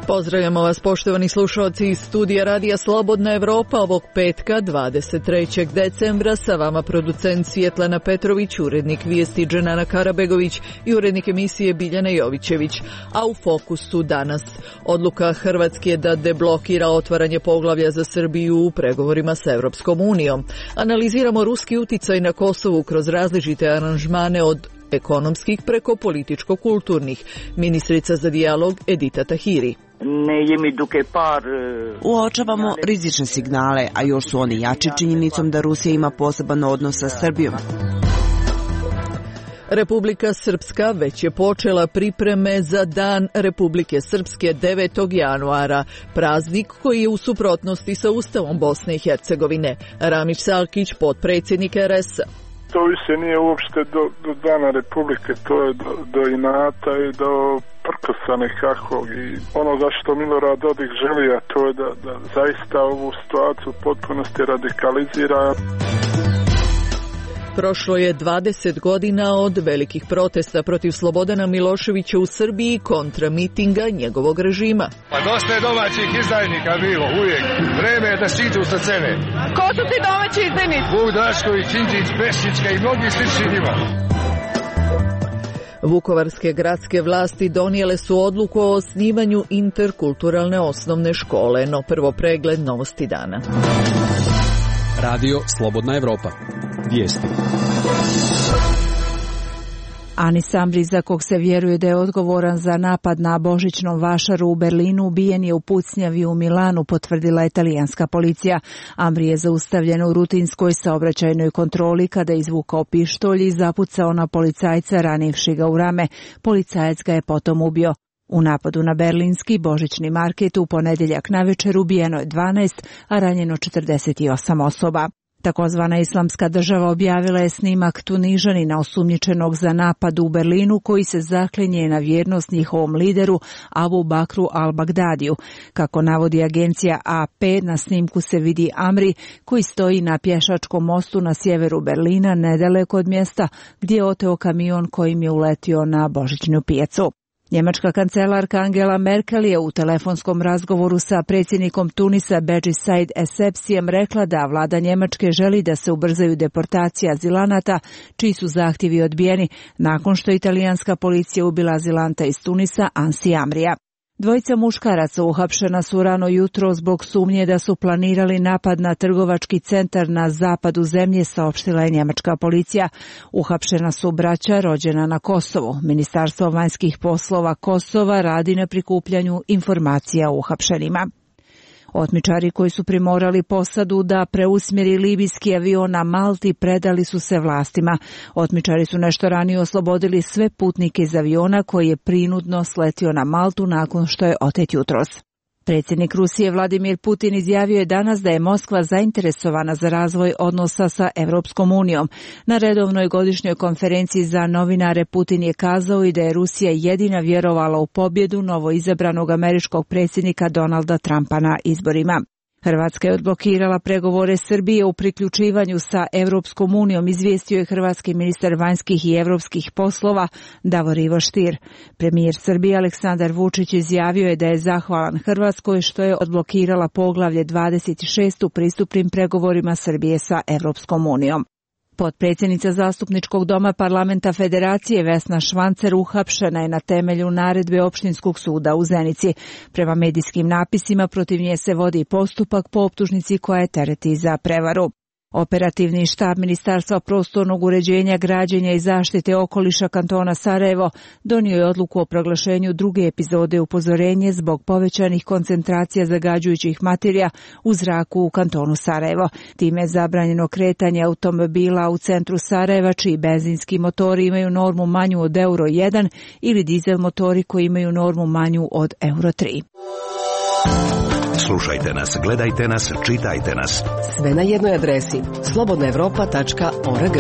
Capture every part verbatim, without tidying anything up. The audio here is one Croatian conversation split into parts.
Pozdravljamo vas, poštovani slušalci iz studija Radija Slobodna Evropa ovog petka dvadeset trećeg decembra. Sa vama producent Svjetlana Petrović, urednik vijesti Dženana Karabegović i urednik emisije Biljana Jovićević. A u fokusu danas odluka Hrvatske da deblokira otvaranje poglavlja za Srbiju u pregovorima sa Europskom unijom. Analiziramo ruski uticaj na Kosovu kroz različite aranžmane od ekonomskih preko političko-kulturnih. Ministrica za dijalog Edita Tahiri. Uočavamo rizične signale, a još su oni jači činjenicom da Rusija ima poseban odnos sa Srbijom. Republika Srpska već je počela pripreme za Dan Republike Srpske devetog januara, praznik koji je u suprotnosti sa Ustavom Bosne i Hercegovine. Ramić Salkić, potpredsjednik er es a. To više nije uopšte do, do Dana Republike, to je do, do inata i do prkosa nekakvog. I ono zašto Milorad Dodik želi, a to je da, da zaista ovu situaciju u potpunosti radikalizira. Prošlo je dvadeset godina od velikih protesta protiv Slobodana Miloševića u Srbiji kontra mitinga njegovog režima. Pa dosta je domaćih izdajnika bilo, uvijek. Vreme je da siđu sa scene. Ko su ti domaći izdajnici? Vuk Drašković, Đinđić, Pešićka i mnogi slični njima. Vukovarske gradske vlasti donijele su odluku o osnivanju interkulturalne osnovne škole, no prvo pregled novosti dana. Radio Slobodna Evropa. Vijesti. Anis Amri, za kog se vjeruje da je odgovoran za napad na božićnom vašaru u Berlinu, ubijen je u pucnjavi u Milanu, potvrdila je italijanska policija. Amri je zaustavljen u rutinskoj saobraćajnoj kontroli kada je izvukao pištolj i zapucao na policajca, ranivši ga u rame. Policajac ga je potom ubio. U napadu na berlinski božićni market u ponedjeljak navečer ubijeno je dvanaest, a ranjeno četrdeset osam osoba. Takozvana Islamska država objavila je snimak Tunižanina osumnjičenog za napad u Berlinu koji se zaklinje na vjernost njihovom lideru Abu Bakru al-Bagdadiju. Kako navodi agencija A P, na snimku se vidi Amri koji stoji na pješačkom mostu na sjeveru Berlina, nedaleko od mjesta gdje je oteo kamion kojim je uletio na božićnu pijacu. Njemačka kancelarka Angela Merkel je u telefonskom razgovoru sa predsjednikom Tunisa Bedži Said Essebsijem rekla da vlada Njemačke želi da se ubrzaju deportacije azilanata čiji su zahtjevi odbijeni nakon što je italijanska policija ubila azilanta iz Tunisa Ansi Amrija. Dvojica muškaraca uhapšena su rano jutro zbog sumnje da su planirali napad na trgovački centar na zapadu zemlje, saopštila je njemačka policija. Uhapšena su braća rođena na Kosovu. Ministarstvo vanjskih poslova Kosova radi na prikupljanju informacija o uhapšenima. Otmičari koji su primorali posadu da preusmjeri libijski avion na Malti predali su se vlastima. Otmičari su nešto ranije oslobodili sve putnike iz aviona koji je prinudno sletio na Maltu nakon što je otet jutros. Predsjednik Rusije Vladimir Putin izjavio je danas da je Moskva zainteresovana za razvoj odnosa sa Europskom unijom. Na redovnoj godišnjoj konferenciji za novinare Putin je kazao i da je Rusija jedina vjerovala u pobjedu novoizabranog američkog predsjednika Donalda Trumpa na izborima. Hrvatska je odblokirala pregovore Srbije u priključivanju sa Europskom unijom, izvijestio je hrvatski ministar vanjskih i europskih poslova Davor Ivo Stier. Premijer Srbije Aleksandar Vučić izjavio je da je zahvalan Hrvatskoj što je odblokirala poglavlje dvadeset šest u pristupnim pregovorima Srbije sa Europskom unijom. Potpredsjednica Zastupničkog doma Parlamenta Federacije Vesna Švancer uhapšena je na temelju naredbe Opštinskog suda u Zenici. Prema medijskim napisima protiv nje se vodi postupak po optužnici koja je tereti za prevaru. Operativni štab Ministarstva prostornog uređenja, građenja i zaštite okoliša kantona Sarajevo donio je odluku o proglašenju druge epizode upozorenje zbog povećanih koncentracija zagađujućih materija u zraku u kantonu Sarajevo. Time je zabranjeno kretanje automobila u centru Sarajeva čiji benzinski motori imaju normu manju od euro jedan ili dizel motori koji imaju normu manju od euro tri. Slušajte nas, gledajte nas, čitajte nas. Sve na jednoj adresi slobodna evropa tačka org.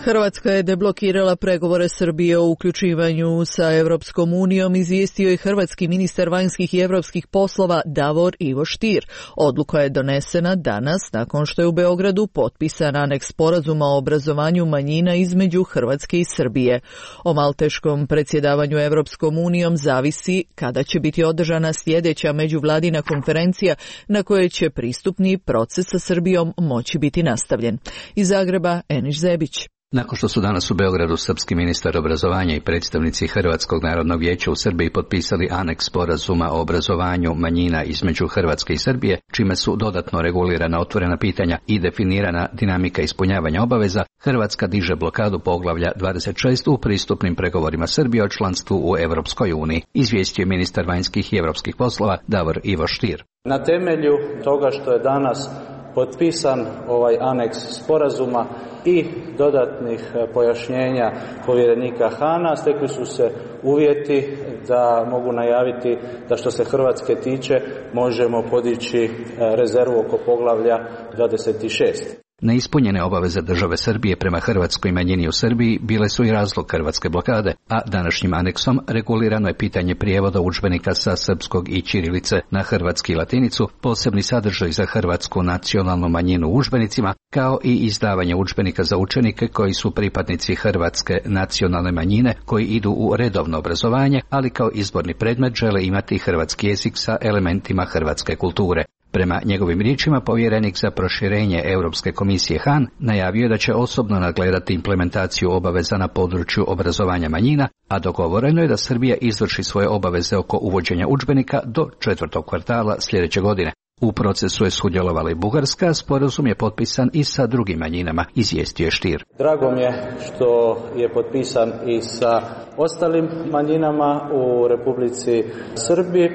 Hrvatska je deblokirala pregovore Srbije o uključivanju sa Europskom unijom, izvijestio je hrvatski ministar vanjskih i europskih poslova Davor Ivo Stier. Odluka je donesena danas nakon što je u Beogradu potpisan aneks sporazuma o obrazovanju manjina između Hrvatske i Srbije. O malteškom predsjedavanju Europskom unijom zavisi kada će biti održana sljedeća međuvladina konferencija na kojoj će pristupni proces sa Srbijom moći biti nastavljen. Iz Zagreba Eniš Zebić. Nakon što su danas u Beogradu srpski ministar obrazovanja i predstavnici Hrvatskog narodnog vijeća u Srbiji potpisali aneks sporazuma o obrazovanju manjina između Hrvatske i Srbije, čime su dodatno regulirana otvorena pitanja i definirana dinamika ispunjavanja obaveza, Hrvatska diže blokadu poglavlja dvadeset šest u pristupnim pregovorima Srbije o članstvu u Europskoj uniji, izvijestio je ministar vanjskih i europskih poslova Davor Ivo Stier. Na temelju toga što je danas potpisan ovaj aneks sporazuma i dodatnih pojašnjenja povjerenika Hana, stekli su se uvjeti da mogu najaviti da što se Hrvatske tiče možemo podići rezervu oko poglavlja dvadeset šest. Neispunjene obaveze države Srbije prema hrvatskoj manjini u Srbiji bile su i razlog hrvatske blokade, a današnjim aneksom regulirano je pitanje prijevoda udžbenika sa srpskog i ćirilice na hrvatski i latinicu, posebni sadržaj za hrvatsku nacionalnu manjinu u udžbenicima, kao i izdavanje udžbenika za učenike koji su pripadnici hrvatske nacionalne manjine koji idu u redovno obrazovanje, ali kao izborni predmet žele imati hrvatski jezik sa elementima hrvatske kulture. Prema njegovim riječima, povjerenik za proširenje Europske komisije Han najavio je da će osobno nadgledati implementaciju obaveza na području obrazovanja manjina, a dogovoreno je da Srbija izvrši svoje obaveze oko uvođenja udžbenika do četvrtog kvartala sljedeće godine. U procesu je sudjelovala i Bugarska, sporazum je potpisan i sa drugim manjinama, izvijestio je Stier. Drago mi je što je potpisan i sa ostalim manjinama u Republici Srbiji.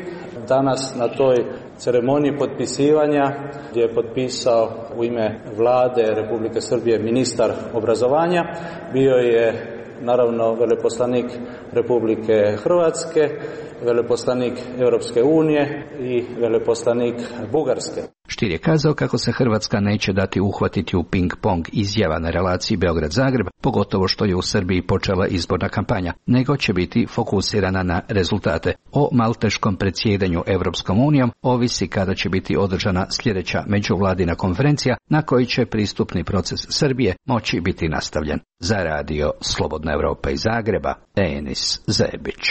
Danas na toj ceremoniji potpisivanja gdje je potpisao u ime vlade Republike Srbije ministar obrazovanja, bio je naravno veleposlanik Republike Hrvatske, veleposlanik Europske unije i veleposlanik Bugarske. Stier je kazao kako se Hrvatska neće dati uhvatiti u ping-pong izjava na relaciji Beograd-Zagreb, pogotovo što je u Srbiji počela izborna kampanja, nego će biti fokusirana na rezultate. O malteškom predsjedanju Europskom unijom ovisi kada će biti održana sljedeća međuvladina konferencija na kojoj će pristupni proces Srbije moći biti nastavljen. Za radio Slobodna Evropa iz Zagreba, Enis Zebić.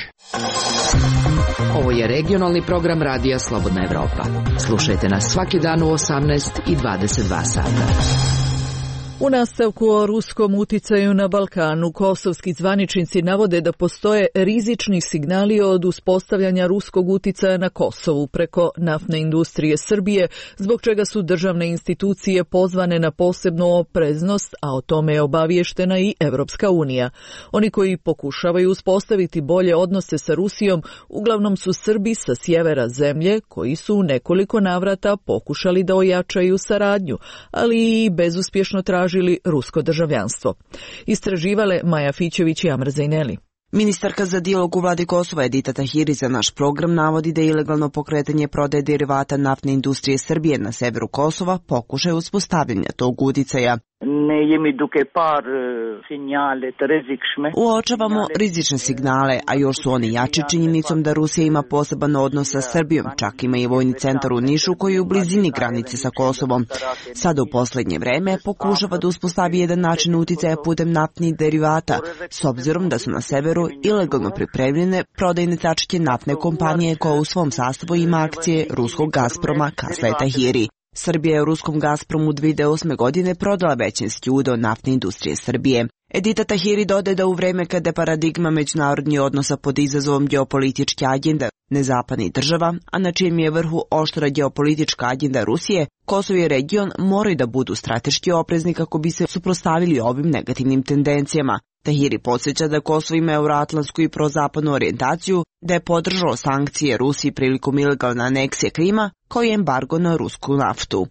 Ovo je regionalni program radija Slobodna Evropa. Slušajte nas svaki dan u osamnaest i dvadeset dva sata. U nastavku o ruskom uticaju na Balkanu, kosovski zvaničnici navode da postoje rizični signali od uspostavljanja ruskog uticaja na Kosovu preko naftne industrije Srbije, zbog čega su državne institucije pozvane na posebnu opreznost, a o tome je obaviještena i Evropska unija. Oni koji pokušavaju uspostaviti bolje odnose sa Rusijom uglavnom su Srbi sa sjevera zemlje, koji su u nekoliko navrata pokušali da ojačaju saradnju, ali i bezuspješno tražili rusko državljanstvo. Istraživale Maja Fićević i Amr Zajneli. Ministarka za dijalog u vladi Kosova Edita Tahiri za naš program navodi da je ilegalno pokretanje prodaje derivata naftne industrije Srbije na severu Kosova pokušaj uspostavljanja tog uticaja. Uočavamo rizične signale, a još su oni jači činjenicom da Rusija ima poseban odnos sa Srbijom, čak ima i vojni centar u Nišu koji je u blizini granice sa Kosovom. Sada u posljednje vreme pokušava da uspostavi jedan način uticaja putem naftnih derivata, s obzirom da su na severu ilegalno pripremljene prodajne tačke naftne kompanije koja u svom sastavu ima akcije ruskog Gazproma, kazala Tahiri. Srbija je u ruskom Gazpromu dvije hiljade osme. godine prodala većinski udeo naftne industrije Srbije. Edita Tahiri dodaje da u vreme kada je paradigma međunarodnih odnosa pod izazovom geopolitičke agende nezapadnih država, a na čijem je vrhu oštra geopolitička agenda Rusije, Kosovo i region moraju da budu strateški oprezni kako bi se suprotstavili ovim negativnim tendencijama. Tahiri podsjeća da Kosovo ima euroatlantsku i prozapadnu orijentaciju, da je podržalo sankcije Rusiji prilikom ilegalne aneksije Krima, kao i embargo na rusku naftu.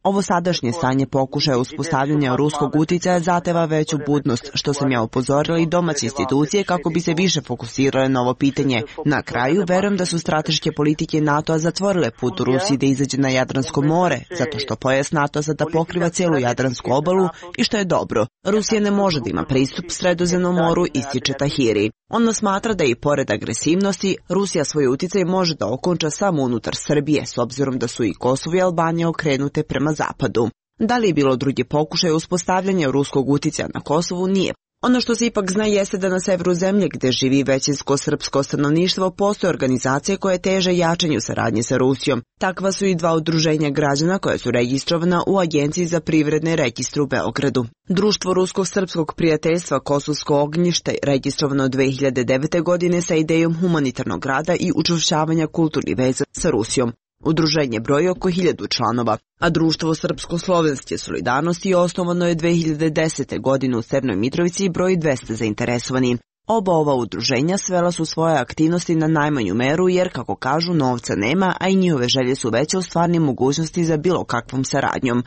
Ovo sadašnje stanje pokušaja uspostavljanja ruskog uticaja zateva veću budnost, što sam ja upozorila i domaće institucije kako bi se više fokusirale na ovo pitanje. Na kraju, verujem da su strateške politike NATO-a zatvorile put u Rusiji da izađe na Jadransko more, zato što pojas NATO sada pokriva cijelu Jadransku obalu i što je dobro. Rusija ne može da ima pristup Sredozemnom moru, ističe Tahiri. On smatra da i pored agresivnosti, Rusija svoj uticaj može da okonča samo unutar Srbije, s obzirom da su i Kosovo i Albanija okrenute prema zapadu. Da li je bilo drugi pokušaj uspostavljanja ruskog uticaja na Kosovu? Nije. Ono što se ipak zna jeste da na severu zemlje, gde živi većinsko srpsko stanovništvo, postoje organizacije koje teže jačanju saradnje sa Rusijom. Takva su i dva udruženja građana koja su registrovana u Agenciji za privredne registre u Beogradu. Društvo Ruskog srpskog prijateljstva Kosovsko ognjište registrovano dve hiljade devete. godine sa idejom humanitarnog rada i učvršćavanja kulturnih veza sa Rusijom. Udruženje broji oko hiljadu članova, a Društvo srpsko-slovenske solidarnosti osnovano je dve hiljade desete. godine u Severnoj Mitrovici i broji dvesta zainteresovani. Oba ova udruženja svela su svoje aktivnosti na najmanju meru jer, kako kažu, novca nema, a i njihove želje su veće u stvarnim mogućnosti za bilo kakvom saradnjom.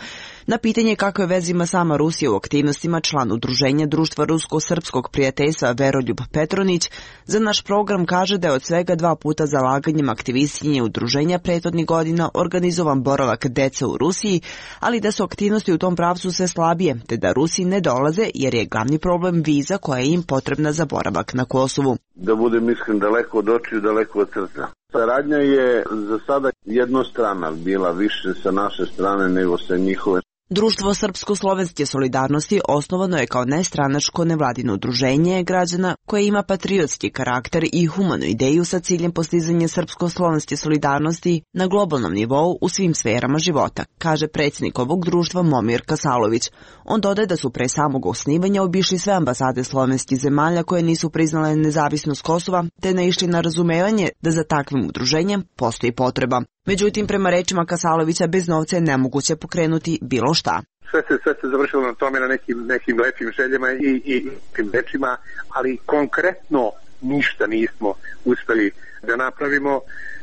Na pitanje kakve veze ima sama Rusija u aktivnostima, član udruženja Društva Rusko-srpskog prijateljstva Veroljub Petronić za naš program kaže da je od svega dva puta zalaganjem aktivistinje udruženja prethodnih godina organizovan boravak dece u Rusiji, ali da su aktivnosti u tom pravcu sve slabije, te da Rusi ne dolaze jer je glavni problem viza koja je im potrebna za boravak na Kosovu. Da budem iskren, daleko od očiju, daleko od srca. Saradnja je za sada jednostrana bila, više sa naše strane nego sa njihove. Društvo srpsko-slovenske solidarnosti osnovano je kao nestranačko nevladino udruženje građana koje ima patriotski karakter i humanu ideju sa ciljem postizanja srpsko-slovenske solidarnosti na globalnom nivou u svim sferama života, kaže predsjednik ovog društva Momir Kasalović. On dodaje da su pre samog osnivanja obišli sve ambasade slovenskih zemalja koje nisu priznale nezavisnost Kosova, te naišli na razumevanje da za takvim udruženjem postoji potreba. Međutim, prema rečima Kasalovića, bez novca je nemoguće pokrenuti bilo šta. Sve se, sve se završilo na tome, na nekim, nekim lepim željama i, i nekim rečima, ali konkretno ništa nismo uspeli da napravimo,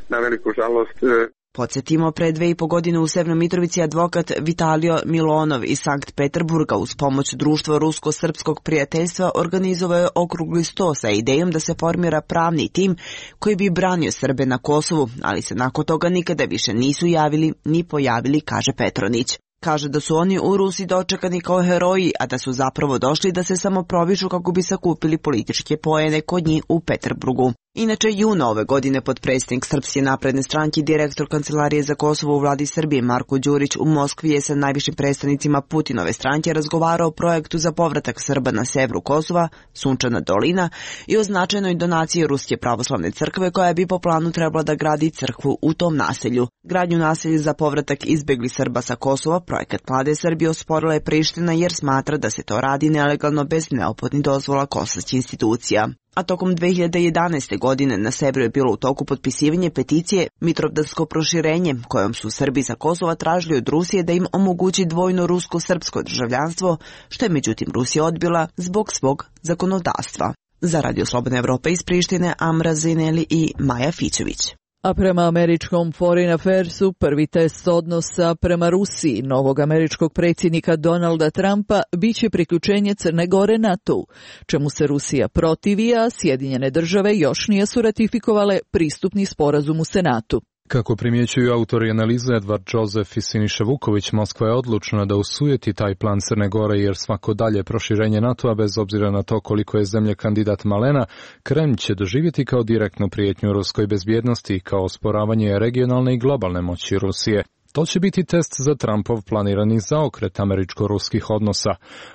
na veliku žalost. Podsjetimo, pre dve i po godine u Severnoj Mitrovici advokat Vitalio Milonov iz Sankt Peterburga uz pomoć Društva Rusko-srpskog prijateljstva organizovao je okrugli sto sa idejom da se formira pravni tim koji bi branio Srbe na Kosovu, ali se nakon toga nikada više nisu javili ni pojavili, kaže Petronić. Kaže da su oni u Rusiji dočekani kao heroji, a da su zapravo došli da se samo provišu kako bi sakupili političke poene kod njih u Peterburgu. Inače, juna ove godine potpredsjednik Srpske napredne stranke i direktor Kancelarije za Kosovo u vladi Srbije Marko Đurić u Moskvi je sa najvišim predstavnicima Putinove stranke razgovarao o projektu za povratak Srba na severu Kosova, Sunčana dolina, i o značajnoj donaciji Ruske pravoslavne crkve koja bi po planu trebala da gradi crkvu u tom naselju. Gradnju naselja za povratak izbeglih Srba sa Kosova projekat Mlade Srbije osporila je Priština jer smatra da se to radi nelegalno bez neophodnih dozvola kosovskih institucija. A tokom dve hiljade jedanaeste. godine na severu je bilo u toku potpisivanje peticije Mitrovdansko proširenje, kojom su Srbi sa Kosova tražili od Rusije da im omogući dvojno rusko-srpsko državljanstvo, što je međutim Rusija odbila zbog svog zakonodavstva. Za Radio Slobodna Evropa iz Prištine, Amra Zineli i Maja Fićević. A prema američkom Foreign Affairsu, prvi test odnosa prema Rusiji novog američkog predsjednika Donalda Trumpa biće priključenje Crne Gore NATO-u, čemu se Rusija protivi, a Sjedinjene države još nije su ratifikovale pristupni sporazum u Senatu. Kako primjećuju autori analize Edvard Josef i Siniša Vuković, Moskva je odlučna da usujeti taj plan Crne Gore jer svako dalje proširenje NATO-a, bez obzira na to koliko je zemlja kandidat malena, Kremlj će doživjeti kao direktnu prijetnju ruskoj bezbjednosti i kao osporavanje regionalne i globalne moći Rusije. To će biti test za Trumpov planirani zaokret američko-ruskih odnosa.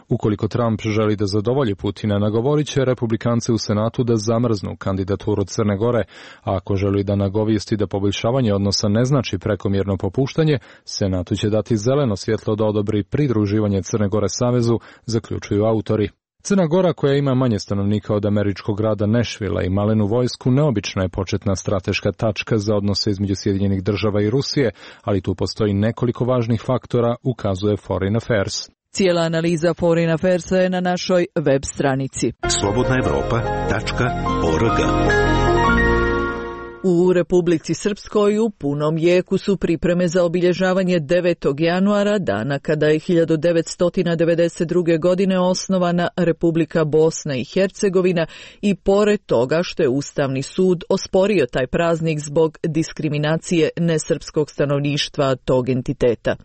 Ukoliko Trump želi da zadovolji Putina, nagovorit će republikance u Senatu da zamrznu kandidaturu Crne Gore, a ako želi da nagovijesti da poboljšavanje odnosa ne znači prekomjerno popuštanje, Senatu će dati zeleno svjetlo da odobri pridruživanje Crne Gore savezu, zaključuju autori. Crna Gora, koja ima manje stanovnika od američkog grada Nešvila i malenu vojsku, neobična je početna strateška tačka za odnose između Sjedinjenih država i Rusije, ali tu postoji nekoliko važnih faktora, ukazuje Foreign Affairs. Cijela analiza Foreign Affairsa je na našoj web stranici. slobodna evropa tačka org. U Republici Srpskoj u punom jeku su pripreme za obilježavanje devetog januara, dana kada je hiljadu devetsto devedeset druge. godine osnovana Republika Bosna i Hercegovina, i pored toga što je Ustavni sud osporio taj praznik zbog diskriminacije nesrpskog stanovništva tog entiteta.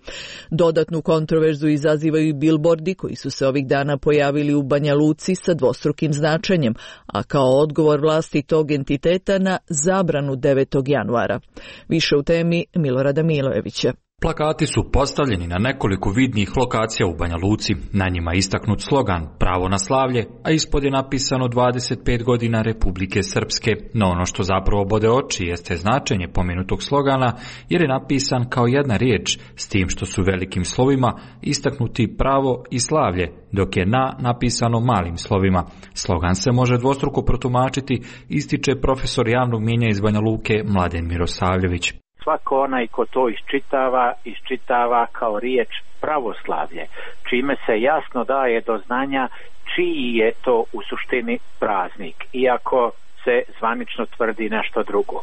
Dodatnu kontroverzu izazivaju i bilbordi koji su se ovih dana pojavili u Banja Luci sa dvostrukim značenjem, a kao odgovor vlasti tog entiteta na zabranu devetog januara. Više u temi Milorada Milojevića. Plakati su postavljeni na nekoliko vidnih lokacija u Banja Luci. Na njima je istaknut slogan Pravo na slavlje, a ispod je napisano dvadeset pet godina Republike Srpske. No ono što zapravo bode oči jeste značenje pomenutog slogana, jer je napisan kao jedna riječ, s tim što su velikim slovima istaknuti pravo i slavlje, dok je na napisano malim slovima. Slogan se može dvostruko protumačiti, ističe profesor javnog mijenja iz Banja Luke Mladen Mirosavljević. Svako onaj ko to iščitava, iščitava kao riječ pravoslavlje, čime se jasno daje do znanja čiji je to u suštini praznik, iako se zvanično tvrdi nešto drugo.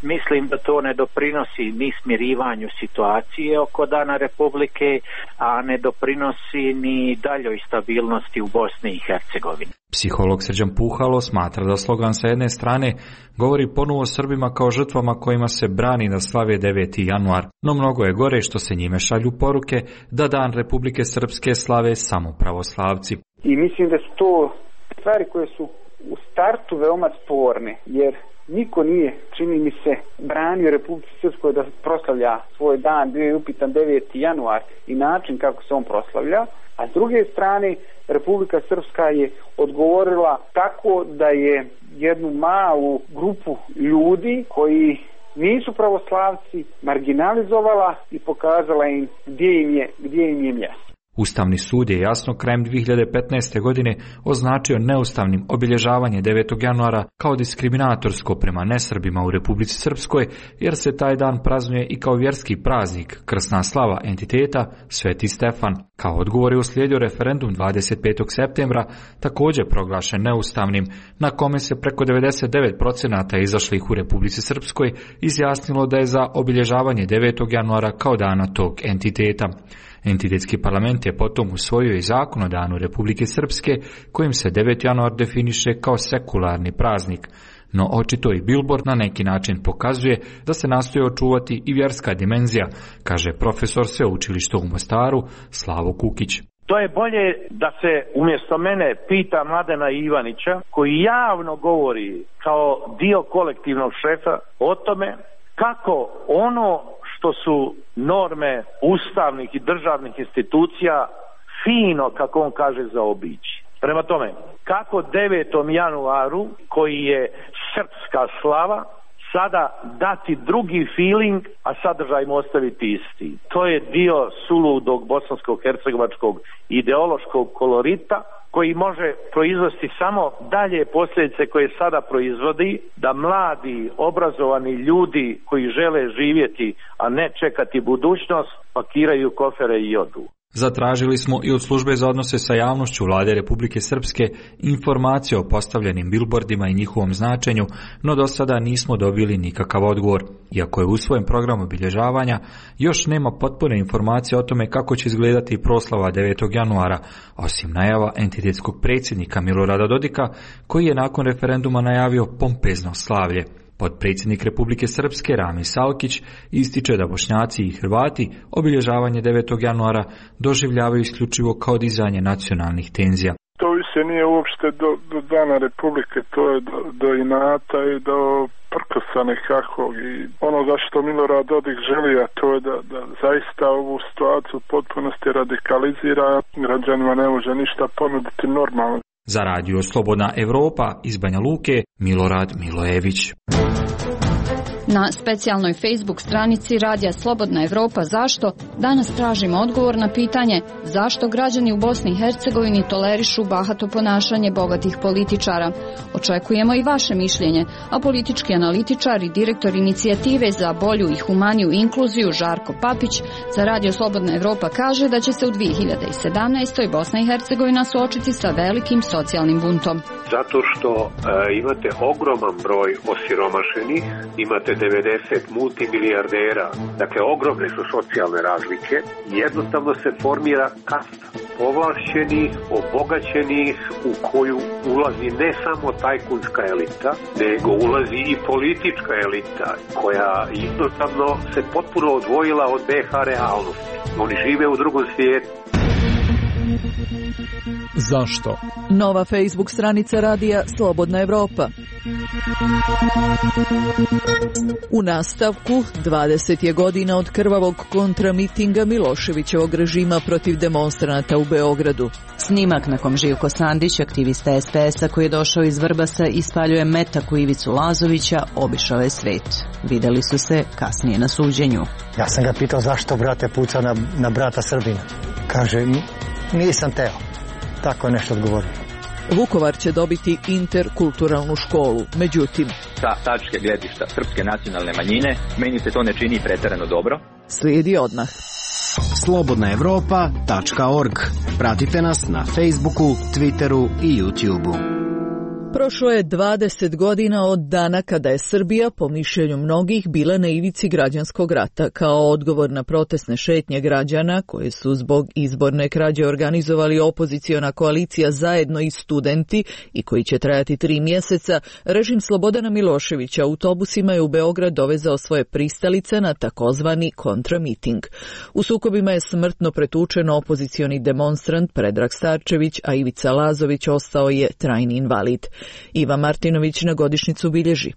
Mislim da to ne doprinosi ni smirivanju situacije oko Dana Republike, a ne doprinosi ni daljoj stabilnosti u Bosni i Hercegovini. Psiholog Srđan Puhalo smatra da slogan sa jedne strane govori ponovo Srbima kao žrtvama kojima se brani da slave deveti januar, no mnogo je gore što se njime šalju poruke da Dan Republike Srpske slave samo pravoslavci. I mislim da su to stvari koje su u startu veoma sporne, jer niko nije, čini mi se, branio Republici Srpskoj da proslavlja svoj dan. Bio je upitan deveti januar i način kako se on proslavlja, a s druge strane Republika Srpska je odgovorila tako da je jednu malu grupu ljudi koji nisu pravoslavci marginalizovala i pokazala im gdje im je, gdje im je mjesto. Ustavni sud je jasno krajem dvije hiljade petnaeste. godine označio neustavnim obilježavanje devetog januara kao diskriminatorsko prema nesrbima u Republici Srpskoj, jer se taj dan praznuje i kao vjerski praznik, krsna slava entiteta Sveti Stefan. Kao odgovor je uslijedio referendum dvadeset petog septembra, također proglašen neustavnim, na kome se preko devedeset devet posto izašlih u Republici Srpskoj izjasnilo da je za obilježavanje devetog januara kao dana tog entiteta. Entitetski parlament je potom usvojio i zakon o Danu Republike Srpske, kojim se deveti januar definiše kao sekularni praznik. No očito i bilbord na neki način pokazuje da se nastoji očuvati i vjerska dimenzija, kaže profesor sveučilišta u Mostaru Slavo Kukić. To je bolje da se umjesto mene pita Mladena Ivanića, koji javno govori kao dio kolektivnog šefa o tome kako ono što su norme ustavnih i državnih institucija fino, kako on kaže, zaobići. Prema tome, kako devetom januaru, koji je srpska slava, sada dati drugi feeling, a sadržaj mu ostaviti isti. To je dio suludog bosansko-hercegovačkog ideološkog kolorita, koji može proizvesti samo dalje posljedice koje sada proizvodi, da mladi, obrazovani ljudi koji žele živjeti, a ne čekati budućnost, pakiraju kofere i odu. Zatražili smo i od službe za odnose sa javnošću Vlade Republike Srpske informacije o postavljenim bilbordima i njihovom značenju, no do sada nismo dobili nikakav odgovor. Iako je usvojen program obilježavanja, još nema potpune informacije o tome kako će izgledati proslava devetog januara, osim najava entitetskog predsjednika Milorada Dodika, koji je nakon referenduma najavio pompezno slavlje. Potpredsjednik Republike Srpske Rami Salkić ističe da Bošnjaci i Hrvati obilježavanje devetog januara doživljavaju isključivo kao dizanje nacionalnih tenzija. To više nije uopšte do, do Dana Republike, to je do, do inata i do prkosa nekakvog. I ono za što Milorad Dodik želi, a to je da, da zaista ovu situaciju u potpunosti radikalizira, građanima ne može ništa ponuditi normalno. Za radio Slobodna Evropa iz Banja Luke, Milorad Milojević. Na specijalnoj Facebook stranici Radija Slobodna Evropa Zašto danas tražimo odgovor na pitanje zašto građani u Bosni i Hercegovini tolerišu bahato ponašanje bogatih političara. Očekujemo i vaše mišljenje, a politički analitičar i direktor inicijative za bolju i humaniju inkluziju Žarko Papić za Radio Slobodna Evropa kaže da će se u dvije hiljade sedamnaestoj. Bosna i Hercegovina suočiti sa velikim socijalnim buntom. Zato što e, imate ogroman broj osiromašenih, imate devedeset multimilijardera, dakle ogromne su socijalne razlike i jednostavno se formira kasta povlašćenih, obogaćenih u koju ulazi ne samo tajkunska elita, nego ulazi i politička elita koja jednostavno se potpuno odvojila od be ha realnosti. Oni žive u drugom svijetu. Zašto? Nova Facebook stranica Radija Slobodna Evropa. U nastavku, dvadeset je godina od krvavog kontramitinga Miloševićevog režima protiv demonstranata u Beogradu. Snimak na kom Živko Sandić, aktivista es pe es a koji je došao iz Vrbasa i spaljuje metak u Ivicu Lazovića, obišao je svet. Videli su se kasnije na suđenju. Ja sam ga pitao zašto brate puca na, na brata Srbina. Kaže, nisam teo. Tako je nešto odgovorio. Vukovar će dobiti interkulturalnu školu, međutim... Sa tačke gledišta srpske nacionalne manjine, meni se to ne čini pretjerano dobro. Slijedi odmah. slobodna evropa tačka org. Pratite nas na Facebooku, Twitteru i YouTubeu. Prošlo je dvadeset godina od dana kada je Srbija, po mišljenju mnogih, bila na ivici građanskog rata. Kao odgovor na protestne šetnje građana, koje su zbog izborne krađe organizovali opoziciona koalicija Zajedno i studenti i koji će trajati tri mjeseca, režim Slobodana Miloševića autobusima je u Beograd dovezao svoje pristalice na takozvani kontramiting. U sukobima je smrtno pretučen opozicioni demonstrant Predrag Starčević, a Ivica Lazović ostao je trajni invalid. Iva Martinović na godišnjicu bilježi.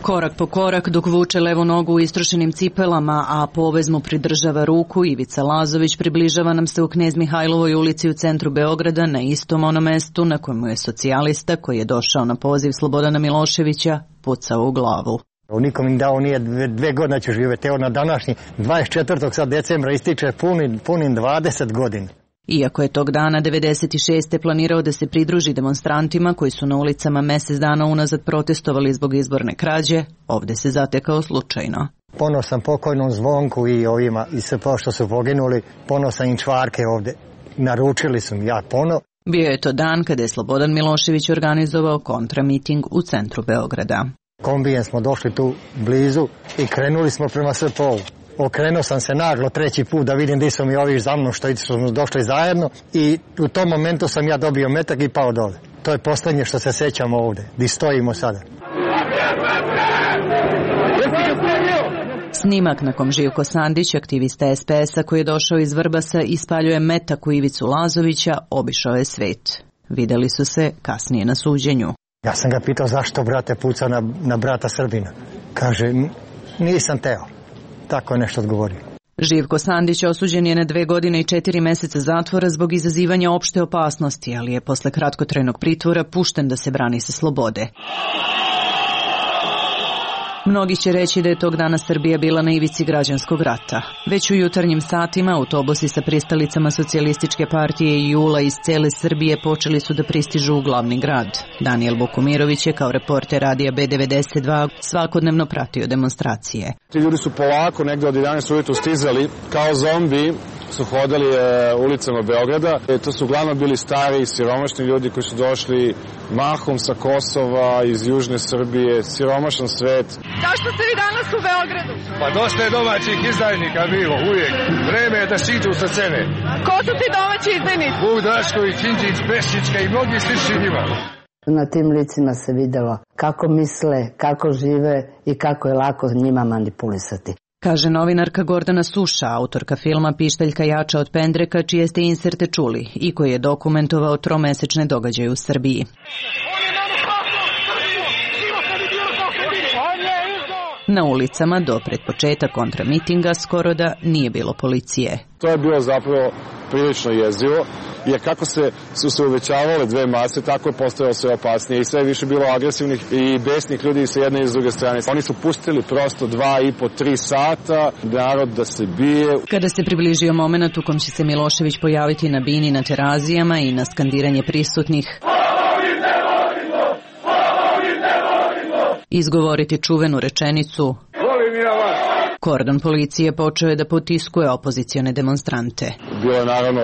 Korak po korak dok vuče levu nogu u istrošenim cipelama, a povez mu pridržava ruku, Ivica Lazović približava nam se u Knez Mihajlovoj ulici u centru Beograda, na istom onom mestu na kojemu je socijalista koji je došao na poziv Slobodana Miloševića pucao u glavu. Nikom im dao nije dve, dve godine ću živjeti. Evo na današnji dvadeset četvrtog sad decembra ističe punim, punim dvadeset godina. Iako je tog dana devedeset šeste planirao da se pridruži demonstrantima koji su na ulicama mjesec dana unazad protestovali zbog izborne krađe, ovdje se zatekao slučajno. Ponosan pokojnom Zvonku i ovima i sve što su poginuli, ponosan im čvarke ovdje. Naručili su mi ja pono. Bio je to dan kada je Slobodan Milošević organizovao kontramiting u centru Beograda. Kombijem smo došli tu blizu i krenuli smo prema S P O-u. Okrenuo sam se naglo treći put da vidim gdje su mi ovi za mnom što smo došli zajedno i u tom momentu sam ja dobio metak i pao dole. To je posljednje što se sjećamo ovdje, gdje stojimo sada. Snimak na kom Živko Sandić, aktivista es pe es a koji je došao iz Vrbasa i spaljuje metak u Ivicu Lazovića, obišao je svet. Videli su se kasnije na suđenju. Ja sam ga pitao zašto brate puca na, na brata Srbina. Kaže, nisam teo. Tako je nešto odgovorio. Živko Sandić osuđen je na dve godine i četiri mjeseca zatvora zbog izazivanja opšte opasnosti, ali je posle kratkotrajnog pritvora pušten da se brani sa slobode. Mnogi će reći da je tog dana Srbija bila na ivici građanskog rata. Već u jutarnjim satima autobusi sa pristalicama socijalističke partije i JUL-a iz cele Srbije počeli su da pristižu u glavni grad. Daniel Bukumirović je kao reporter Radija be devedeset dva svakodnevno pratio demonstracije. Ti ljudi su polako negdje od jedanaest ujutru stizali, kao zombi su hodali e, ulicama Beograda. E, to su uglavnom bili stari, siromašni ljudi koji su došli mahom sa Kosova, iz južne Srbije, siromašan svet. Zašto ste vi danas u Beogradu? Pa dosta je domaćih izdajnika bilo, uvijek. Vreme je da siđu sa scene. Ko su ti domaći izdajnici? Vuk Drašković, Đinđić, Pešićka i mnogi slični njima. Na tim licima se videlo kako misle, kako žive i kako je lako njima manipulisati. Kaže novinarka Gordana Suša, autorka filma Pištaljka jača od pendreka, čije ste inserte čuli i koji je dokumentovao tromesečne događaje u Srbiji. Na ulicama do pred početak kontramitinga skoro da nije bilo policije. To je bilo zapravo prilično jezivo, jer kako se, su se uvećavale dve mase, tako je postojalo sve opasnije i sve više bilo agresivnih i besnih ljudi sa jedne i s druge strane. Oni su pustili prosto dva i po, tri sata narod da se bije. Kada se približio moment u kom će se Milošević pojaviti na bini na terazijama i na skandiranje prisutnih, izgovoriti čuvenu rečenicu kordon policije počeo je da potiskuje opozicione demonstrante. Bilo je naravno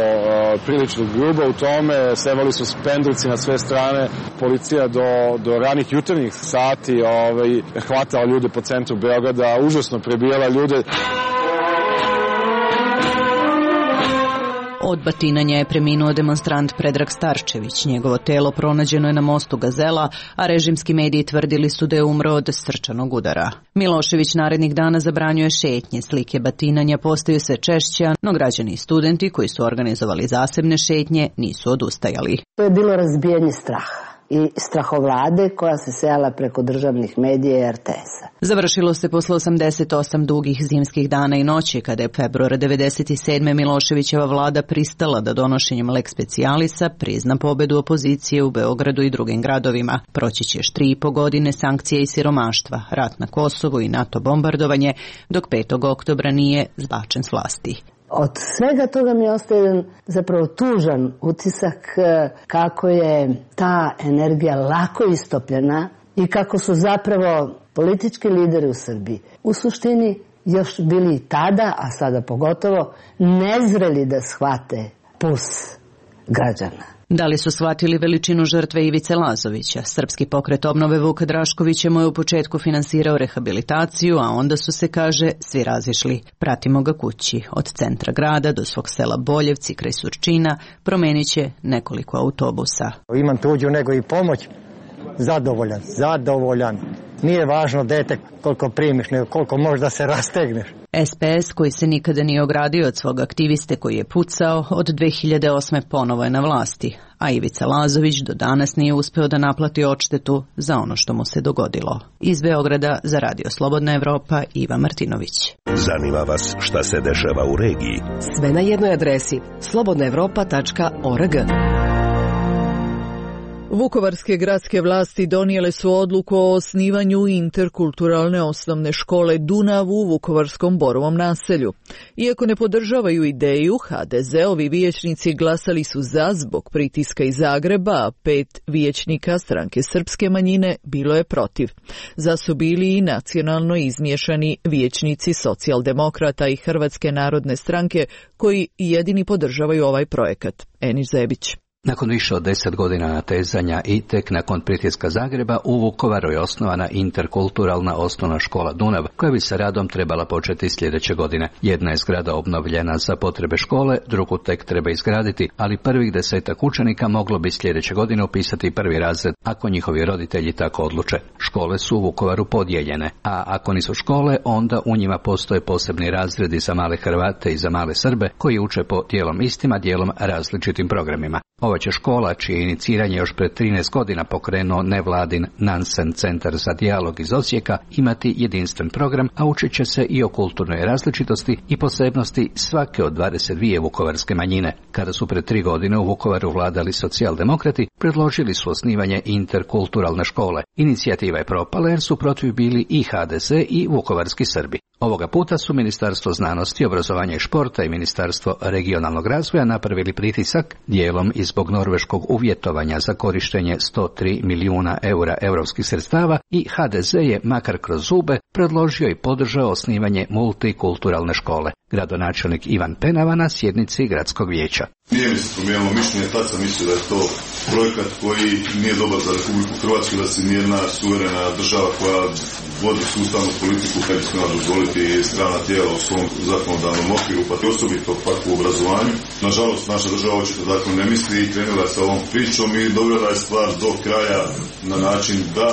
prilično grubo u tome, sevali su pendreci na sve strane, policija do, do ranih jutarnjih sati ovaj, hvatala ljude po centru Beograda, užasno prebijala ljude. Od batinanja je preminuo demonstrant Predrag Starčević. Njegovo telo pronađeno je na mostu Gazela, a režimski mediji tvrdili su da je umro od srčanog udara. Milošević narednih dana zabranjuje šetnje, slike batinanja postaju sve češće, no građani i studenti koji su organizovali zasebne šetnje nisu odustajali. To je bilo razbijanje straha i strahovlade koja se sejala preko državnih medija i er te esa. Završilo se posle osamdeset osam dugih zimskih dana i noći, kada je februara devedeset sedme Miloševićeva vlada pristala da donošenjem lex specialisa prizna pobedu opozicije u Beogradu i drugim gradovima. Proći će još tri i po godine sankcije i siromaštva, rat na Kosovu i NATO bombardovanje, dok petog oktobra nije zbačen s vlasti. Od svega toga mi ostaje jedan zapravo tužan utisak kako je ta energija lako istopljena i kako su zapravo politički lideri u Srbiji u suštini još bili tada, a sada pogotovo, nezreli da shvate puls građana. Da li su shvatili veličinu žrtve Ivice Lazovića? Srpski pokret obnove Vuka Draškovića mu je u početku finansirao rehabilitaciju, a onda su se, kaže, svi razišli. Pratimo ga kući. Od centra grada do svog sela Boljevci kraj Surčina promenit će nekoliko autobusa. Imam tuđu nego i pomoć. Zadovoljan, zadovoljan. Nije važno dete koliko primiš, nego koliko možda se rastegneš. es pe es, koji se nikada nije ogradio od svog aktiviste koji je pucao, od dve hiljade osme ponovo je na vlasti, a Ivica Lazović do danas nije uspeo da naplati odštetu za ono što mu se dogodilo. Iz Beograda za Radio Slobodna Evropa, Iva Martinović. Zanima vas šta se dešava u regiji? Sve na jednoj adresi slobodna evropa tačka org. Vukovarske gradske vlasti donijele su odluku o osnivanju interkulturalne osnovne škole Dunav u vukovarskom Borovom naselju. Iako ne podržavaju ideju, ha de ze-ovi vijećnici glasali su za zbog pritiska iz Zagreba, a pet vijećnika stranke srpske manjine bilo je protiv. Za su bili i nacionalno izmiješani vijećnici socijaldemokrata i Hrvatske narodne stranke koji jedini podržavaju ovaj projekat. Enis Zebić. Nakon više od deset godina natezanja i tek nakon pritiska Zagreba, u Vukovaru je osnovana interkulturalna osnovna škola Dunav, koja bi sa radom trebala početi sljedeće godine. Jedna je zgrada obnovljena za potrebe škole, drugu tek treba izgraditi, ali prvih desetak učenika moglo bi sljedeće godine upisati prvi razred, ako njihovi roditelji tako odluče. Škole su u Vukovaru podijeljene, a ako nisu škole, onda u njima postoje posebni razredi za male Hrvate i za male Srbe, koji uče po dijelom istima, dijelom različitim programima. Ova će škola, čije iniciranje još pred trinaest godina pokrenuo nevladin Nansen centar za dijalog iz Osijeka, imati jedinstven program, a učit će se i o kulturnoj različitosti i posebnosti svake od dvadeset dvije vukovarske manjine. Kada su pred tri godine u Vukovaru vladali socijaldemokrati, predložili su osnivanje interkulturalne škole. Inicijativa je propala jer su protiv bili i ha de ze i vukovarski Srbi. Ovoga puta su Ministarstvo znanosti, obrazovanja i športa i Ministarstvo regionalnog razvoja napravili pritisak, dijelom i zbog norveškog uvjetovanja za korištenje sto tri milijuna eura europskih sredstava, i ha de ze je, makar kroz zube, predložio i podržao osnivanje multikulturalne škole. Gradonačelnik Ivan Penava na sjednici gradskog vijeća. Nije mi se promijenilo mišljenje, tad sam mislio da je to projekat koji nije dobar za Republiku Hrvatsku, da se nijedna suverena država koja vodi sustavnu politiku kad bi smjela dozvoliti strana tijela u svom zakonodavnom okviru, pa osobito pak u obrazovanju. Nažalost, naša država očito tako ne misli i krenula sa ovom pričom i dovela je stvar do kraja na način da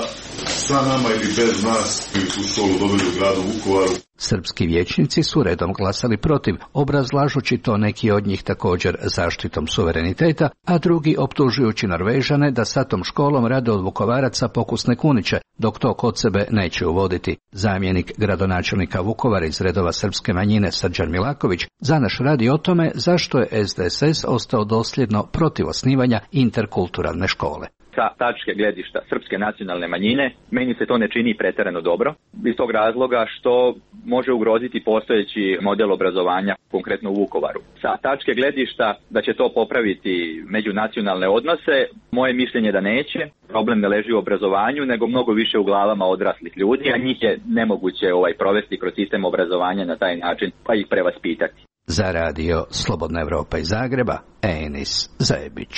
sa nama ili bez nas, ili su školu dobili u gradu Vukovaru. Srpski vijećnici su redom glasali protiv, obrazlažući to neki od njih također zaštitom suvereniteta, a drugi optužujući Norvežane da sa tom školom rade od Vukovaraca pokusne kuniće, dok to kod sebe neće uvoditi. Zamjenik gradonačelnika Vukovara iz redova srpske manjine Srđan Milaković za naš radi o tome zašto je S D S S ostao dosljedno protiv osnivanja interkulturalne škole. Sa tačke gledišta srpske nacionalne manjine, meni se to ne čini pretjerano dobro, iz tog razloga što može ugroziti postojeći model obrazovanja, konkretno u Vukovaru. Sa tačke gledišta da će to popraviti međunacionalne odnose, moje mišljenje da neće. Problem ne leži u obrazovanju, nego mnogo više u glavama odraslih ljudi, a njih je nemoguće ovaj provesti kroz sistem obrazovanja na taj način, pa ih prevaspitati. Za radio Slobodna Evropa iz Zagreba, Enis Zajebić.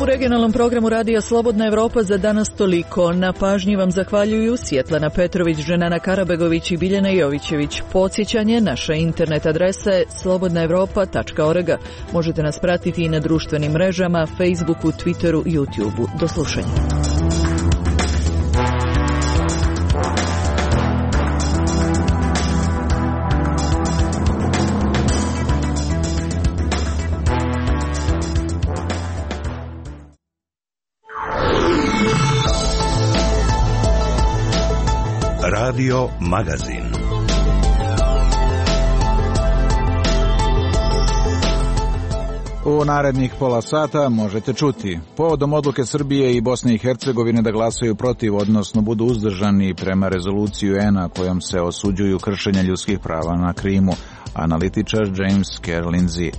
U regionalnom programu Radija Slobodna Evropa za danas toliko. Na pažnji vam zahvaljuju Svjetlana Petrović, Dženana Karabegović i Biljana Jovićević. Podsjećanje, naša internet adresa je slobodna evropa tačka org. Možete nas pratiti i na društvenim mrežama, Facebooku, Twitteru i YouTubeu. Do slušanja. Radio Magazin. U narednih pola sata možete čuti: povodom odluke Srbije i Bosne i Hercegovine da glasaju protiv, odnosno budu uzdržani prema rezoluciju U N-a kojom se osuđuju kršenja ljudskih prava na Krimu, analitičar James Kerr Lindsay.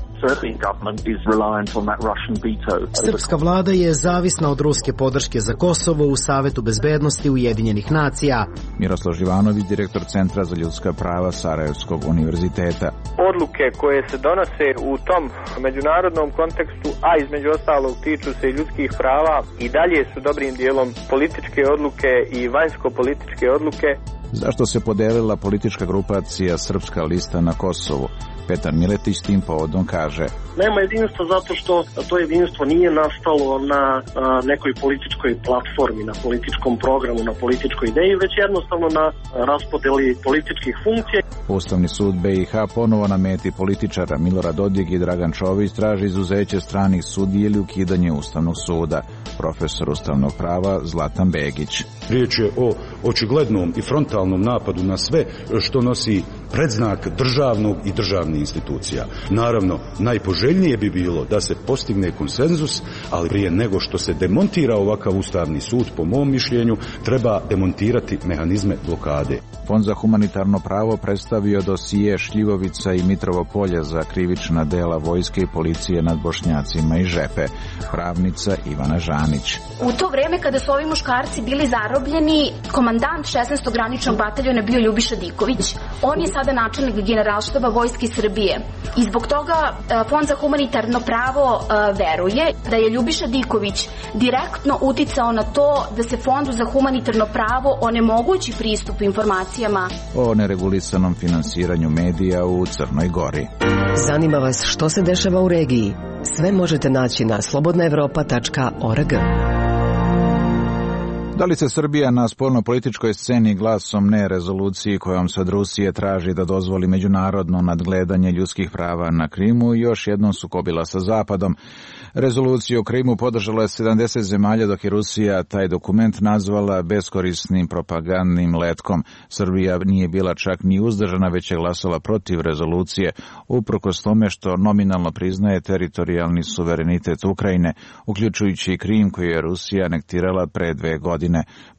Srpska vlada je zavisna od ruske podrške za Kosovo u Savetu bezbednosti Ujedinjenih nacija. Miroslav Živanović, direktor Centra za ljudska prava Sarajevskog univerziteta. Odluke koje se donose u tom međunarodnom kontekstu, a između ostalog tiču se i ljudskih prava, i dalje su dobrim dijelom političke odluke i vanjsko-političke odluke. Zašto se podelila politička grupacija Srpska lista na Kosovu? Petar Miletić tim povodom kaže: nema jedinstva zato što to jedinstvo nije nastalo na a, nekoj političkoj platformi, na političkom programu, na političkoj ideji, već jednostavno na raspodeli političkih funkcija. Ustavni sud B i H ponovo na meti političara. Milorad Dodik i Dragan Čović traži izuzeće stranih sudija ili ukidanje Ustavnog suda. Profesor ustavnog prava Zlatan Begić. Riječ je o očiglednom i frontalnom napadu na sve što nosi predznak državnog i državnih institucija. Naravno, najpoželjnije bi bilo da se postigne konsenzus, ali prije nego što se demontira ovakav ustavni sud, po mom mišljenju, treba demontirati mehanizme blokade. Fond za humanitarno pravo predstavio dosije Šljivovica i Mitrovo polje za krivična dela vojske i policije nad Bošnjacima i Žepe. Pravnica Ivana Žanić. U to vrijeme kada su ovi muškarci bili zarobljeni, komandant šesnaestog graničnog bataljona bio Ljubiša Diković. On je sada načelnik generalštaba Vojske Srbije. I zbog toga Fond za humanitarno pravo veruje da je Ljubiša Diković direktno uticao na to da se Fondu za humanitarno pravo onemogući pristup informacijama o neregulisanom finansiranju medija u Crnoj Gori. Zanima vas što se dešava u regiji? Sve možete naći na slobodna evropa tačka org. Da li se Srbija na spoljno-političkoj sceni glasom ne rezoluciji kojom se od Rusije traži da dozvoli međunarodno nadgledanje ljudskih prava na Krimu još jednom sukobila sa Zapadom? Rezoluciju o Krimu podržalo je sedamdeset zemalja, dok je Rusija taj dokument nazvala beskorisnim propagandnim letkom. Srbija nije bila čak ni uzdržana, već je glasala protiv rezolucije, uprkos tome što nominalno priznaje teritorijalni suverenitet Ukrajine, uključujući i Krim koji je Rusija anektirala pre dve godine.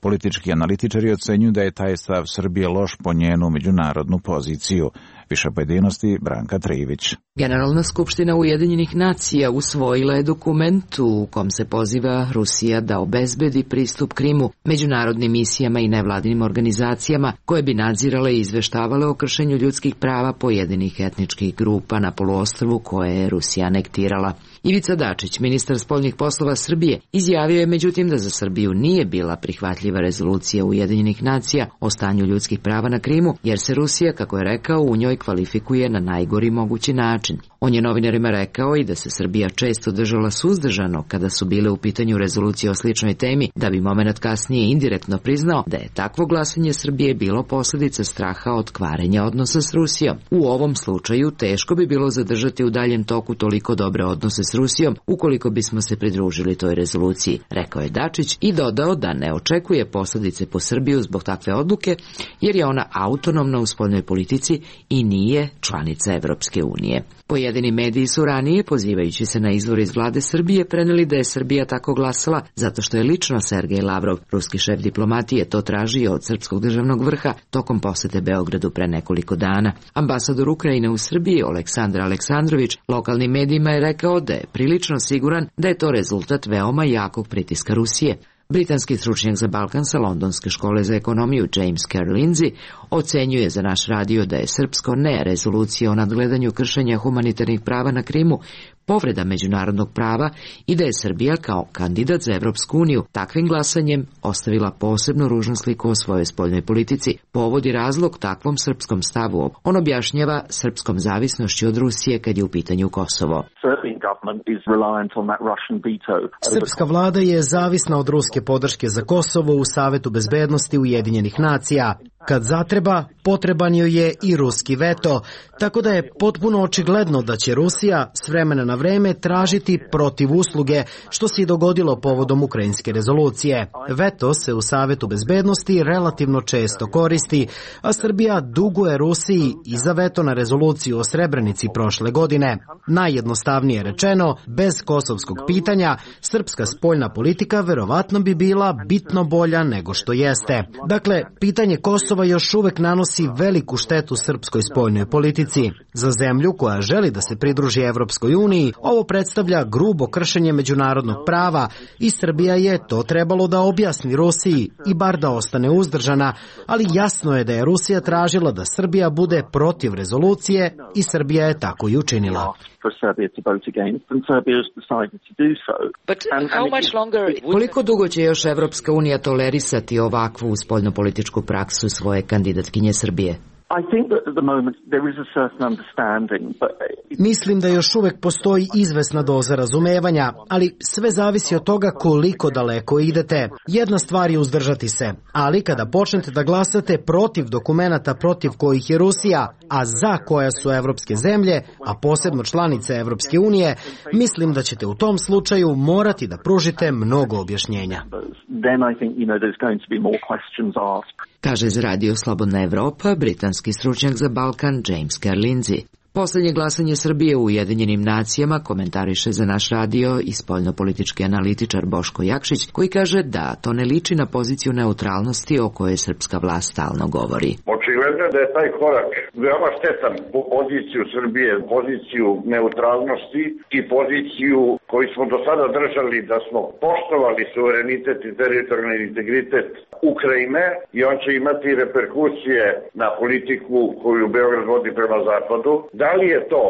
Politički analitičari ocenjuju da je taj stav Srbije loš po njenu međunarodnu poziciju. Više pojedinosti Branka Trivić. Generalna skupština Ujedinjenih nacija usvojila je dokument u kom se poziva Rusija da obezbedi pristup Krimu međunarodnim misijama i nevladinim organizacijama koje bi nadzirale i izveštavale o kršenju ljudskih prava pojedinih etničkih grupa na poluostrvu koje je Rusija anektirala. Ivica Dačić, ministar spoljnih poslova Srbije, izjavio je međutim da za Srbiju nije bila prihvatljiva rezolucija Ujedinjenih nacija o stanju ljudskih prava na Krimu, jer se Rusija, kako je rekao, u njoj kvalifikuje na najgori mogući način. On je novinarima rekao i da se Srbija često držala suzdržano kada su bile u pitanju rezolucije o sličnoj temi, da bi momenat kasnije indirektno priznao da je takvo glasanje Srbije bilo posljedica straha od kvarenja odnosa s Rusijom. U ovom slučaju teško bi bilo zadržati u daljem toku toliko dobre odnose s Rusijom ukoliko bismo se pridružili toj rezoluciji, rekao je Dačić i dodao da ne očekuje posljedice po Srbiju zbog takve odluke, jer je ona autonomna u spoljnoj politici i nije članica Evropske unije. Pojedini mediji su ranije, pozivajući se na izvor iz vlade Srbije, preneli da je Srbija tako glasala zato što je lično Sergej Lavrov, ruski šef diplomatije, to tražio od srpskog državnog vrha tokom posete Beogradu pre nekoliko dana. Ambasador Ukrajine u Srbiji, Aleksandar Aleksandrović, lokalnim medijima je rekao da je prilično siguran da je to rezultat veoma jakog pritiska Rusije. Britanski stručnjak za Balkan sa Londonske škole za ekonomiju James Kerr Lindsay ocenjuje za naš radio da je srpsko ne rezolucija o nadgledanju kršenja humanitarnih prava na Krimu povreda međunarodnog prava i da je Srbija kao kandidat za Evropsku uniju takvim glasanjem ostavila posebno ružnu sliku o svojoj spoljnoj politici. Povod i razlog takvom srpskom stavu on objašnjava srpskom zavisnošću od Rusije kad je u pitanju Kosovo. Srpska vlada je zavisna od ruske podrške za Kosovo u Savetu bezbednosti Ujedinjenih nacija. Kad zatreba, potreban joj je i ruski veto, tako da je potpuno očigledno da će Rusija s vremena na vreme tražiti protiv usluge, što se i dogodilo povodom ukrajinske rezolucije. Veto se u Savetu bezbednosti relativno često koristi, a Srbija duguje Rusiji i za veto na rezoluciju o Srebrenici prošle godine. Najjednostavnije rečeno, bez kosovskog pitanja, srpska spoljna politika verovatno bi bila bitno bolja nego što jeste. Dakle, pitanje Kosova još uvek nanosi veliku štetu srpskoj spoljnoj politici. Za zemlju koja želi da se pridruži Evropskoj uniji, ovo predstavlja grubo kršenje međunarodnog prava i Srbija je to trebalo da objasni Rusiji i bar da ostane uzdržana, ali jasno je da je Rusija tražila da Srbija bude protiv rezolucije i Srbija je tako i učinila. Koliko dugo će još Evropska unija tolerisati ovakvu spoljnopolitičku praksu svoje kandidatkinje Srbije? Mislim da još uvek postoji izvesna doza razumevanja, ali sve zavisi od toga koliko daleko idete. Jedna stvar je uzdržati se, ali kada počnete da glasate protiv dokumenata protiv kojih je Rusija, a za koja su evropske zemlje, a posebno članice Evropske unije, mislim da ćete u tom slučaju morati da pružite mnogo objašnjenja. Kaže za radio Slobodna Evropa britanski stručnjak za Balkan James Kerr Lindsay. Poslednje glasanje Srbije u Ujedinjenim nacijama komentariše za naš radio i spoljnopolitički analitičar Boško Jakšić, koji kaže da to ne liči na poziciju neutralnosti o kojoj srpska vlast stalno govori. Očigledno je da je taj korak veoma štetan po poziciju Srbije, poziciju neutralnosti i poziciju koju smo do sada držali da smo poštovali suverenitet i teritorijalni integritet Ukrajine i on će imati reperkusije na politiku koju Beograd vodi prema zapadu. Da li je to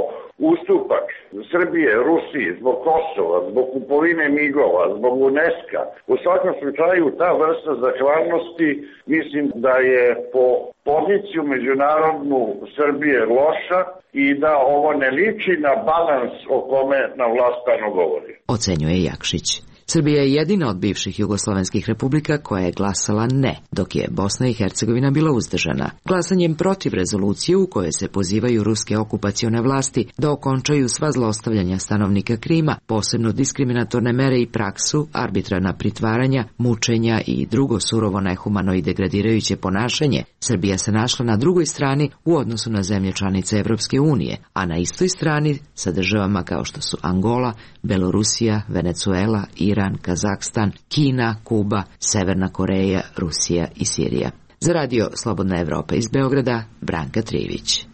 ustupak Srbije, Rusiji, zbog Kosova, zbog kupovine migova, zbog UNESCO-a? U svakom slučaju ta vrsta zahvalnosti mislim da je po poziciju međunarodnu Srbije loša i da ovo ne liči na balans o kome na vlast stalno govori. Ocenjuje Jakšić. Srbija je jedina od bivših jugoslovenskih republika koja je glasala ne, dok je Bosna i Hercegovina bila uzdržana. Glasanjem protiv rezolucije u kojoj se pozivaju ruske okupacione vlasti da okončaju sva zlostavljanja stanovnika Krima, posebno diskriminatorne mere i praksu, arbitrarna pritvaranja, mučenja i drugo surovo nehumano i degradirajuće ponašanje, Srbija se našla na drugoj strani u odnosu na zemlje članice Evropske unije, a na istoj strani sa državama kao što su Angola, Belorusija, Venecuela, Iran, Kazahstan, Kina, Kuba, Severna Koreja, Rusija i Sirija. Za radio Slobodna Evropa iz Beograda, Branka Trivić.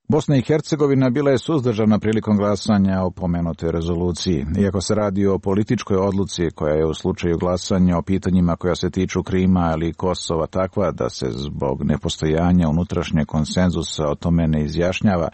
Bosna i Hercegovina bila je suzdržana prilikom glasanja o pomenutoj rezoluciji. Iako se radi o političkoj odluci koja je u slučaju glasanja o pitanjima koja se tiču Krima ili Kosova takva da se zbog nepostojanja unutrašnjeg konsenzusa o tome ne izjašnjava,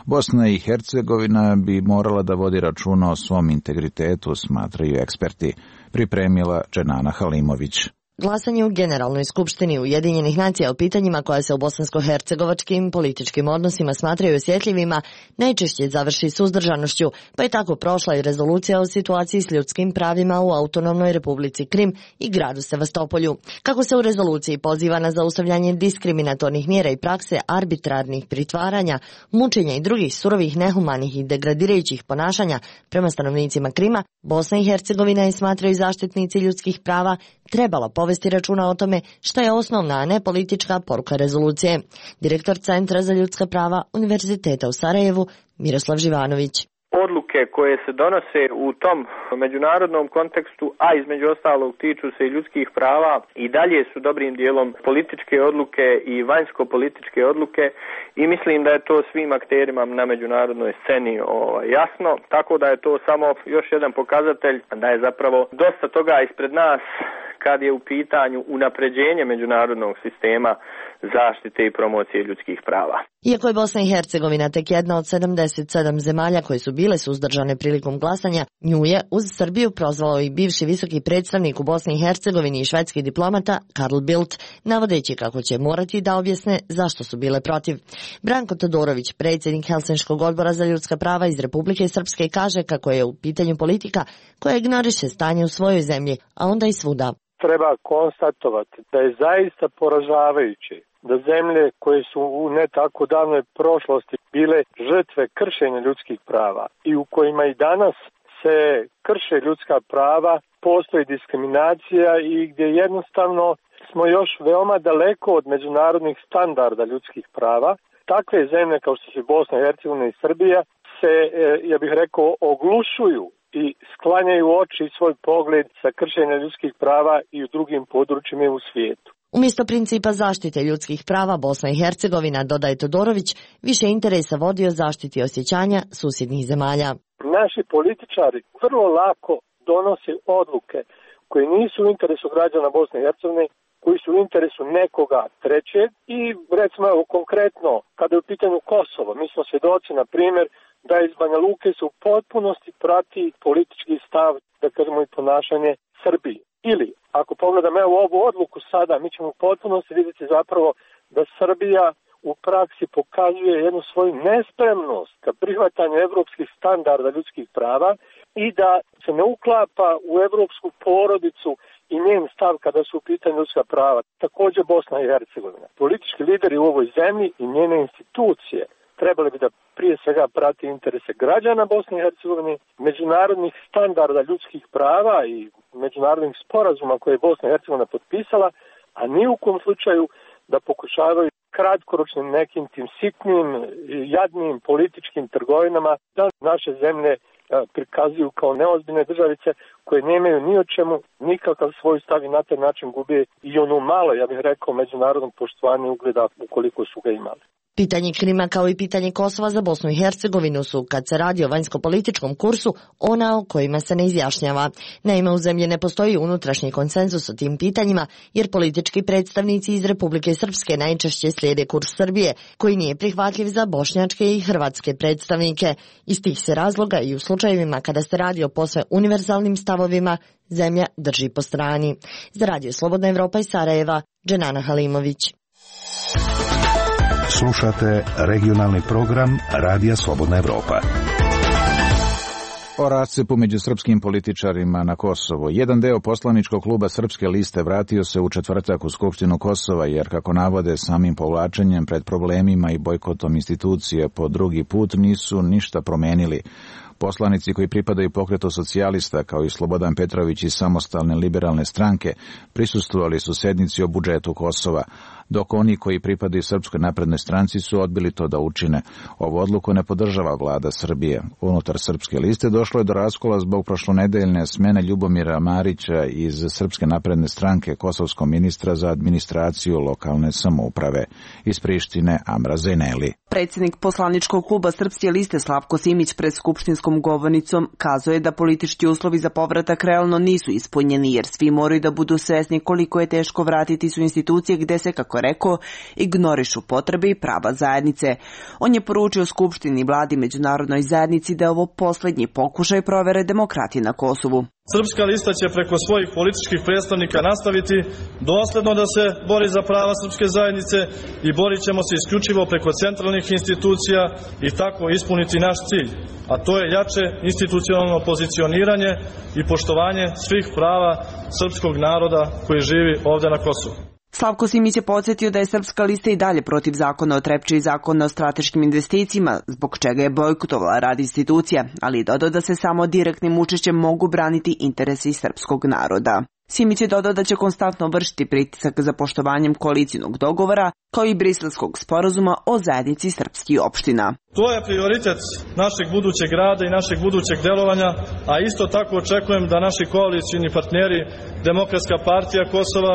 Bosna i Hercegovina bi morala da vodi računa o svom integritetu, smatraju eksperti, pripremila Dženana Halimović. Glasanje u Generalnoj skupštini Ujedinjenih nacija o pitanjima koja se u bosansko-hercegovačkim političkim odnosima smatraju osjetljivima najčešće završi suzdržanošću, pa je tako prošla i rezolucija o situaciji s ljudskim pravima u autonomnoj Republici Krim i gradu Sevastopolju. Kako se u rezoluciji poziva na zaustavljanje diskriminatornih mjera i prakse arbitrarnih pritvaranja, mučenja i drugih surovih, nehumanih i degradirajućih ponašanja prema stanovnicima Krima, Bosna i Hercegovina je, smatraju zaštitnici ljudskih prava, trebala povesti računa o tome šta je osnovna, a ne politička poruka rezolucije. Direktor Centra za ljudska prava Univerziteta u Sarajevu, Miroslav Živanović. Odluke koje se donose u tom međunarodnom kontekstu, a između ostalog tiču se i ljudskih prava, i dalje su dobrim dijelom političke odluke i vanjsko-političke odluke, i mislim da je to svim akterima na međunarodnoj sceni ovaj, jasno, tako da je to samo još jedan pokazatelj da je zapravo dosta toga ispred nas kad je u pitanju unapređenje međunarodnog sistema zaštite i promocije ljudskih prava. Iako je Bosna i Hercegovina tek jedna od sedamdeset sedam zemalja koje su bile suzdržane prilikom glasanja, nju je uz Srbiju prozvao i bivši visoki predstavnik u Bosni i Hercegovini i švedski diplomata Karl Bildt, navodeći kako će morati da objasne zašto su bile protiv. Branko Todorović, predsjednik Helsinškog odbora za ljudska prava iz Republike Srpske, kaže kako je u pitanju politika koja ignoriše stanje u svojoj zemlji, a onda i svuda. Treba konstatovati da je zaista poražavajuće da zemlje koje su u ne tako davnoj prošlosti bile žrtve kršenja ljudskih prava i u kojima i danas se krše ljudska prava, postoji diskriminacija i gdje jednostavno smo još veoma daleko od međunarodnih standarda ljudskih prava. Takve zemlje kao što su Bosna i Hercegovina i Srbija se, ja bih rekao, oglušuju i sklanjaju oči i svoj pogled sa kršenja ljudskih prava i u drugim područjima u svijetu. Umjesto principa zaštite ljudskih prava, Bosna i Hercegovina, dodaje Todorović, više interesa vodi o zaštiti osjećanja susjednih zemalja. Naši političari vrlo lako donose odluke koje nisu u interesu građana Bosne i Hercegovine, koji su u interesu nekoga trećeg i recimo evo, konkretno kada je u pitanju Kosovo, mi smo svjedoci na primjer da iz Banja Luke se u potpunosti prati politički stav, da kažemo i ponašanje Srbije. Ili, ako pogledam evo ovu odluku sada, mi ćemo u potpunosti vidjeti zapravo da Srbija u praksi pokazuje jednu svoju nespremnost ka prihvatanju evropskih standarda ljudskih prava i da se ne uklapa u evropsku porodicu i njen stav kada su u pitanju ljudska prava. Također Bosna i Hercegovina. Politički lideri u ovoj zemlji i njene institucije trebali bi da prije svega prati interese građana Bosne i Hercegovine, međunarodnih standarda ljudskih prava i međunarodnih sporazuma koje je Bosna i Hercegovina potpisala, a ni u kom slučaju da pokušavaju kratkoročnim nekim tim sitnim, jadnim političkim trgovinama da naše zemlje prikazuju kao neozbiljne državice koje nemaju ni o čemu nikakav svoj stav i na taj način gube i ono malo, ja bih rekao, međunarodnog poštovanja ugleda ukoliko su ga imali. Pitanje Krima kao i pitanje Kosova za Bosnu i Hercegovinu su, kad se radi o vanjskopolitičkom kursu, ona o kojima se ne izjašnjava. Naime, u zemlji ne postoji unutrašnji konsenzus o tim pitanjima, jer politički predstavnici iz Republike Srpske najčešće slijede kurs Srbije, koji nije prihvatljiv za bošnjačke i hrvatske predstavnike. Iz tih se razloga i u slučajevima kada se radi o posve univerzalnim stavovima, zemlja drži po strani. Za Radio Slobodna Evropa iz Sarajeva, Dženana Halimović. Slušate regionalni program Radija Slobodna Evropa. O rascepu među srpskim političarima na Kosovo. Jedan deo poslaničkog kluba Srpske liste vratio se u četvrtak u Skupštinu Kosova, jer, kako navode, samim povlačenjem pred problemima i bojkotom institucije po drugi put nisu ništa promenili. Poslanici koji pripadaju pokretu socijalista, kao i Slobodan Petrović iz Samostalne liberalne stranke, prisustvovali su sednici o budžetu Kosova, dok oni koji pripadaju Srpskoj naprednoj stranci su odbili to da učine. Ovu odluku ne podržava vlada Srbije. Unutar Srpske liste došlo je do raskola zbog prošlonedeljne smene Ljubomira Marića iz Srpske napredne stranke kosovskog ministra za administraciju lokalne samouprave. Iz Prištine Amra Zeneli. Predsjednik poslaničkog kluba Srpske liste Slavko Simić pred skupštinskom govornicom kazao je da politički uslovi za povratak realno nisu ispunjeni, jer svi moraju da budu svesni koliko je teško vratiti su institucije gde se, kako rekao, ignorišu potrebe i prava zajednice. On je poručio Skupštini, vladi, međunarodnoj zajednici da je ovo posljednji pokušaj provere demokratije na Kosovu. Srpska lista će preko svojih političkih predstavnika nastaviti dosledno da se bori za prava srpske zajednice i borit ćemo se isključivo preko centralnih institucija i tako ispuniti naš cilj, a to je jače institucionalno pozicioniranje i poštovanje svih prava srpskog naroda koji živi ovde na Kosovu. Slavko Simić je podsjetio da je Srpska lista i dalje protiv zakona o Trepči i zakona o strateškim investicijama, zbog čega je bojkotovala rad institucija, ali i dodao da se samo direktnim učešćem mogu braniti interesi srpskog naroda. Simić je dodao da će konstantno vršiti pritisak za poštovanjem koalicijnog dogovora, kao i Briselskog sporazuma o zajednici srpskih opština. To je prioritet našeg budućeg rada i našeg budućeg delovanja, a isto tako očekujem da naši koalicijni partneri Demokratska partija Kosova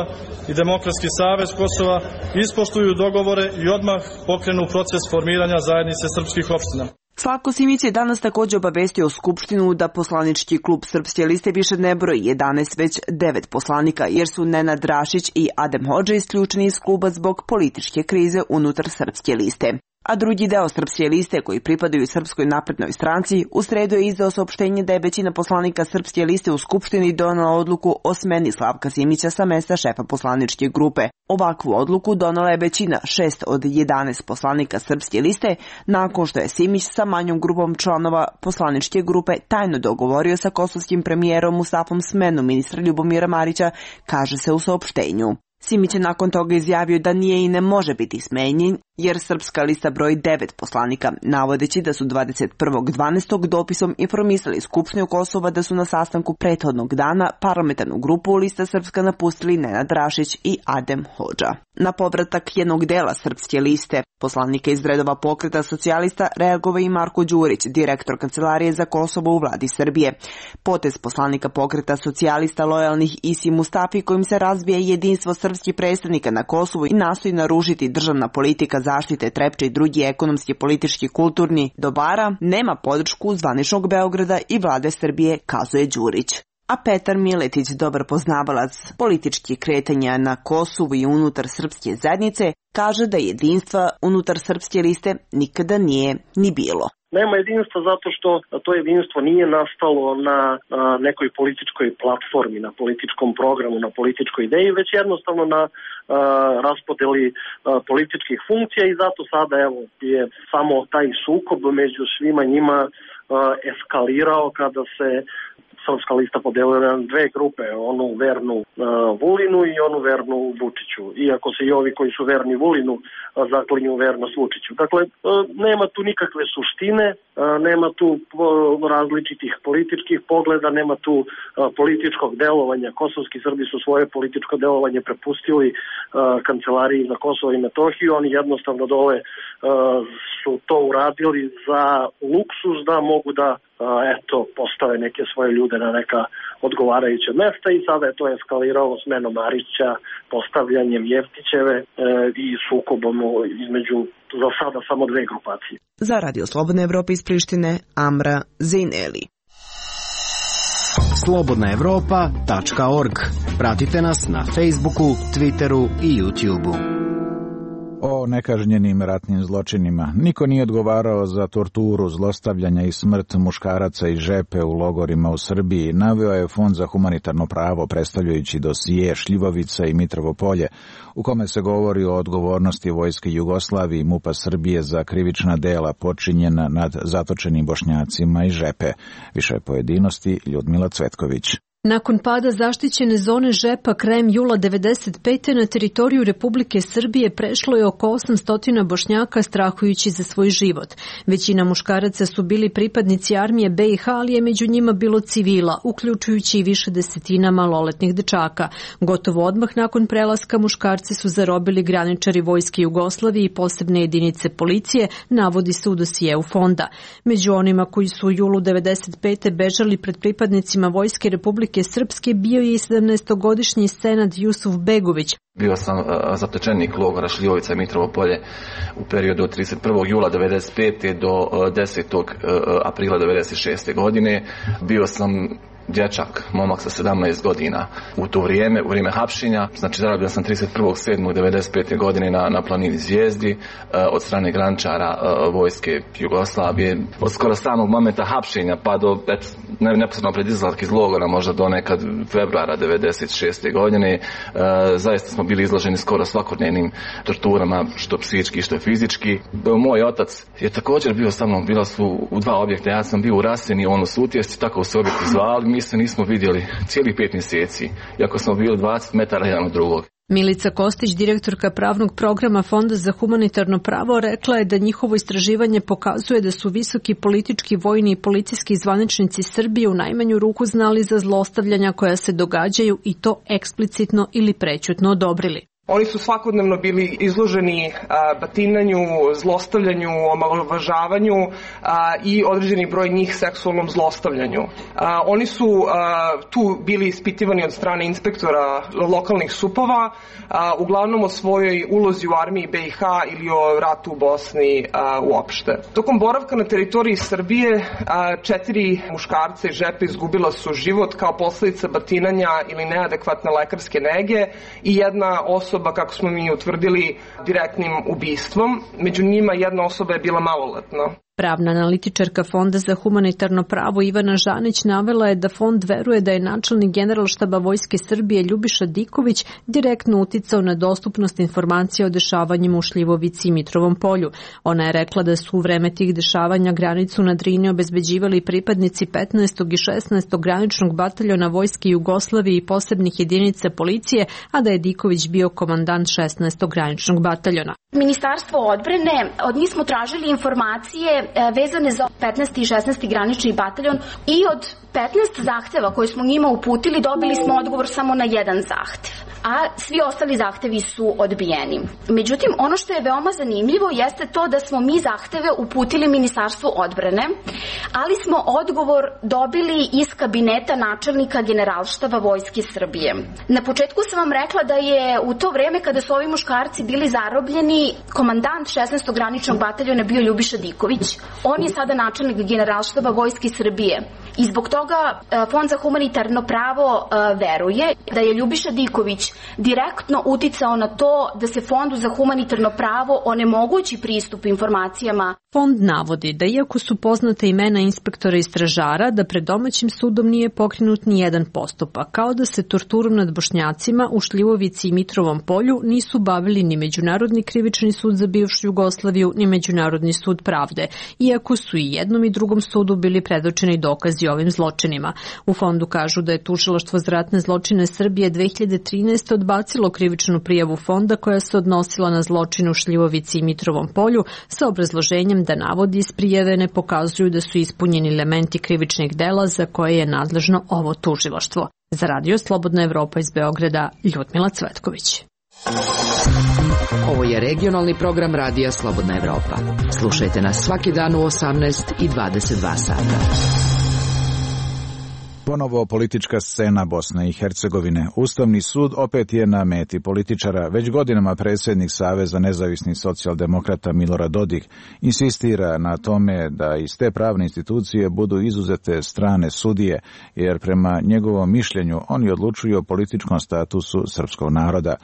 i Demokratski savez Kosova ispoštuju dogovore i odmah pokrenu proces formiranja zajednice srpskih opština. Slavko Simić je danas također obavestio Skupštinu da poslanički klub Srpske liste više ne broji jedanaest, već devet poslanika, jer su Nenad Rašić i Adem Hodža isključeni iz kluba zbog političke krize unutar Srpske liste. A drugi deo Srpske liste, koji pripadaju Srpskoj naprednoj stranci, u sredu je izdao saopštenje da je većina poslanika Srpske liste u Skupštini donela odluku o smeni Slavka Simića sa mesta šefa poslaničke grupe. Ovakvu odluku donela je većina, šest od jedanaest poslanika Srpske liste, nakon što je Simić sa manjom grupom članova poslaničke grupe tajno dogovorio sa kosovskim premijerom Mustafom smenu ministra Ljubomira Marića, kaže se u saopštenju. Simić je nakon toga izjavio da nije i ne može biti smenjen, jer Srpska lista broji devet poslanika, navodeći da su dvadeset prvog dvanaestog dopisom informisali Skupštinu Kosova da su na sastanku prethodnog dana parlamentarnu grupu Lista Srpska napustili Nenad Rašić i Adem Hodža. Na povratak jednog dela Srpske liste, poslanika iz redova Pokreta socijalista, reagovao i Marko Đurić, direktor Kancelarije za Kosovo u vladi Srbije. Potez poslanika Pokreta socijalista lojalnih Isi Mustafi, kojim se razbija jedinstvo srpskih predstavnika na Kosovu i nastoji narušiti državna politika zaštite Trepče i drugi ekonomski, politički, kulturni dobara, nema podršku zvaničnog Beograda i vlade Srbije, kazuje Đurić. A Petar Miletić, dobar poznavalac političkih kretanja na Kosovu i unutar srpske zajednice, kaže da jedinstva unutar Srpske liste nikada nije ni bilo. Nema jedinstva zato što to jedinstvo nije nastalo na a, nekoj političkoj platformi, na političkom programu, na političkoj ideji, već jednostavno na a, raspodeli a, političkih funkcija i zato sada evo je samo taj sukob među svima njima a, eskalirao kada se Srpska lista podelila na dve grupe, onu vernu uh, Vulinu i onu vernu Vučiću. Iako se i ovi koji su verni Vulinu uh, zaklinju vernost Vučiću. Dakle, uh, nema tu nikakve suštine, uh, nema tu uh, različitih političkih pogleda, nema tu uh, političkog delovanja. Kosovski Srbi su svoje političko delovanje prepustili uh, Kancelariji za Kosovo i Metohiju. Oni jednostavno dole uh, su to uradili za luksuz da mogu da eto, postave neke svoje ljude na neka odgovarajuća mesta i sada je to eskaliralo smenom Marića, postavljanjem Jeftićeve e, i sukobom između za sada samo dve grupacije. Za Radio Slobodna Evropa iz Prištine, Amra Zejneli. slobodna evropa tačka org. Pratite nas na Facebooku, Twitteru i YouTubeu. O nekažnjenim ratnim zločinima. Niko nije odgovarao za torturu, zlostavljanja i smrt muškaraca i žepe u logorima u Srbiji, naveo je Fond za humanitarno pravo predstavljajući dosije Šljivovica i Mitrovo Polje, u kome se govori o odgovornosti Vojske Jugoslavije i MUP-a Srbije za krivična dela počinjena nad zatočenim Bošnjacima i žepe. Više pojedinosti Ljudmila Cvetković. Nakon pada zaštićene zone Žepa krajem jula devedeset pete na teritoriju Republike Srbije prešlo je oko osamsto Bošnjaka strahujući za svoj život. Većina muškaraca su bili pripadnici armije be i ha, ali je među njima bilo civila, uključujući i više desetina maloletnih dečaka. Gotovo odmah nakon prelaska muškarce su zarobili graničari Vojske Jugoslavije i posebne jedinice policije, navodi se u dosijeu fonda. Među onima koji su u julu devedeset pete bežali pred pripadnicima Vojske Republike Srpske bio je i sedamnaestogodišnji Senad Jusuf Begović. Bio sam uh, zatečenik logora Šljivovica i Mitrovo Polje u periodu od trideset prvog jula devedeset pete do uh, desetog aprila devedeset šeste godine. Bio sam dječak, momak sa sedamnaest godina. U to vrijeme, u vrijeme hapšenja, znači zarobljen sam trideset prvog sedmog devedeset pete godine na, na planini Zvijezdi od strane graničara vojske Jugoslavije. Od skoro samog momenta hapšenja pa do ne, neposredno pred izlazak iz logora, možda do nekad februara devedeset šeste godine, zaista smo bili izloženi skoro svakodnevnim torturama, što psihički, što fizički. Moj otac je također bio sa mnom, bila su u dva objekta, ja sam bio u Raseni, on u Sutjesti, tako su objekti zvali, mi se nismo vidjeli cijelih pet mjeseci, iako smo bili dvadeset metara jedan od drugog. Milica Kostić, direktorka pravnog programa Fonda za humanitarno pravo, rekla je da njihovo istraživanje pokazuje da su visoki politički, vojni i policijski zvaničnici Srbije u najmanju ruku znali za zlostavljanja koja se događaju i to eksplicitno ili prećutno odobrili. Oni su svakodnevno bili izloženi a, batinanju, zlostavljanju, omalovažavanju a, i određeni broj njih seksualnom zlostavljanju. A, oni su a, tu bili ispitivani od strane inspektora lokalnih supova, a, uglavnom o svojoj ulozi u armiji B i H ili o ratu u Bosni a, uopšte. Tokom boravka na teritoriji Srbije a, četiri muškarca i žepe izgubila su život kao posljedica batinanja ili neadekvatne lekarske nege i jedna osoba, kako smo mi utvrdili, direktnim ubistvom. Među njima jedna osoba je bila maloletna. Pravna analitičarka Fonda za humanitarno pravo Ivana Žanić navela je da fond veruje da je načelnik Generalštaba Vojske Srbije Ljubiša Diković direktno uticao na dostupnost informacija o dešavanjima u Šljivovici i Mitrovom polju. Ona je rekla da su u vreme tih dešavanja granicu na Drini obezbeđivali pripadnici petnaestog i šesnaestog graničnog bataljona Vojske Jugoslavije i posebnih jedinica policije, a da je Diković bio komandant šesnaestog graničnog bataljona. Ministarstvo odbrane, od njih smo tražili informacije vezane za petnaesti i šesnaesti granični bataljon i od petnaest zahteva koje smo njima uputili dobili smo odgovor samo na jedan zahtev, a svi ostali zahtevi su odbijeni. Međutim, ono što je veoma zanimljivo jeste to da smo mi zahteve uputili Ministarstvu odbrane, ali smo odgovor dobili iz kabineta načelnika Generalštaba Vojske Srbije. Na početku sam vam rekla da je u to vreme kada su ovi muškarci bili zarobljeni, komandant šesnaestog graničnog bataljona bio Ljubiša Diković. On je sada načelnik Generalštaba Vojske Srbije. I zbog toga Fond za humanitarno pravo veruje da je Ljubiša Diković direktno uticao na to da se Fondu za humanitarno pravo onemogući pristup informacijama. Fond navodi da iako su poznate imena inspektora i stražara, da pred domaćim sudom nije pokrenut ni jedan postupak, kao da se torturom nad Bošnjacima u Šljivovici i Mitrovom polju nisu bavili ni Međunarodni krivični sud za bivšu Jugoslaviju, ni Međunarodni sud pravde, iako su i jednom i drugom sudu bili predočeni dokazi ovim zločinima. U fondu kažu da je Tužilaštvo za ratne zločine Srbije dve hiljade trinaeste. odbacilo krivičnu prijavu fonda koja se odnosila na zločin u Šljivovici i Mitrovom polju sa obrazloženjem da navodi iz prijave ne pokazuju da su ispunjeni elementi krivičnih dela za koje je nadležno ovo tužilaštvo. Za Radio Slobodna Evropa iz Beograda, Ljudmila Cvetković. Ovo je regionalni program Radija Slobodna Evropa. Slušajte nas svaki dan u osamnaest i dvadeset dva sata. Ponovo politička scena Bosne i Hercegovine. Ustavni sud opet je na meti političara. Već godinama predsjednik Saveza nezavisnih socijaldemokrata Milorad Dodik insistira na tome da iz te pravne institucije budu izuzete strane sudije, jer prema njegovom mišljenju oni odlučuju o političkom statusu srpskog naroda.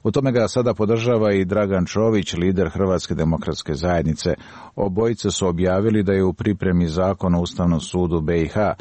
U tome ga sada podržava i Dragan Čović, lider Hrvatske demokratske zajednice. Obojice su objavili da je u pripremi zakon o Ustavnom sudu B i H,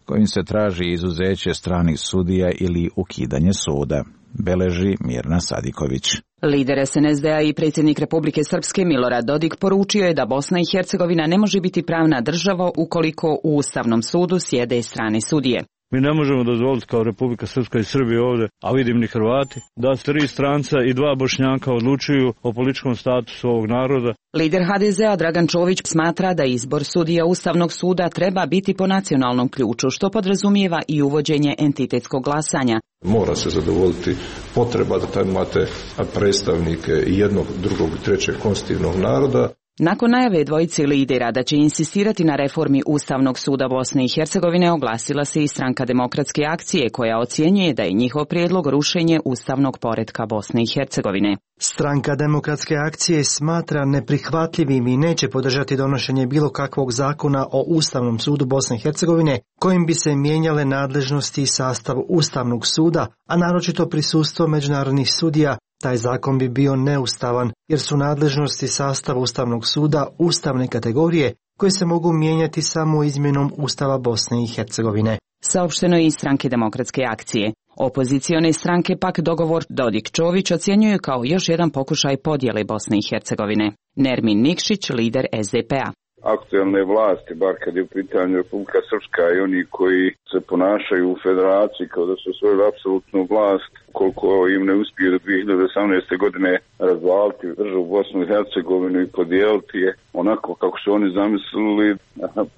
kojim se traži izuzeće stranih sudija ili ukidanje suda, beleži Mirna Sadiković. Lider S N S D-a i predsjednik Republike Srpske Milorad Dodik poručio je da Bosna i Hercegovina ne može biti pravna država ukoliko u Ustavnom sudu sjede strane sudije. Mi ne možemo dozvoliti kao Republika Srpska i Srbija ovdje, a vidim ni Hrvati, da tri stranca i dva Bošnjaka odlučuju o političkom statusu ovog naroda. Lider H D Z-a Dragan Čović smatra da izbor sudija Ustavnog suda treba biti po nacionalnom ključu, što podrazumijeva i uvođenje entitetskog glasanja. Mora se zadovoljiti potreba da tamo imate predstavnike jednog, drugog i trećeg konstitutivnog naroda. Nakon najave dvojice lidera da će insistirati na reformi Ustavnog suda Bosne i Hercegovine, oglasila se i Stranka demokratske akcije, koja ocjenjuje da je njihov prijedlog rušenje ustavnog poretka Bosne i Hercegovine. Stranka demokratske akcije smatra neprihvatljivim i neće podržati donošenje bilo kakvog zakona o Ustavnom sudu Bosne i Hercegovine kojim bi se mijenjale nadležnosti i sastav Ustavnog suda, a naročito prisustvo međunarodnih sudija. Taj zakon bi bio neustavan jer su nadležnosti sastava Ustavnog suda ustavne kategorije koje se mogu mijenjati samo izmjenom Ustava Bosne i Hercegovine. Saopšteno je iz Stranke demokratske akcije. Opozicione stranke pak dogovor Dodik-Čović ocjenjuju kao još jedan pokušaj podjele Bosne i Hercegovine. Nermin Nikšić, lider es de pe a. Aktualne vlasti, bar kad je u pitanju Republika Srpska i oni koji se ponašaju u federaciji kao da su osvojili apsolutnu vlast, koliko im ne uspije do dvije hiljade osamnaeste. godine razvaliti državu Bosnu i Hercegovinu i podijeliti je onako kako su oni zamislili,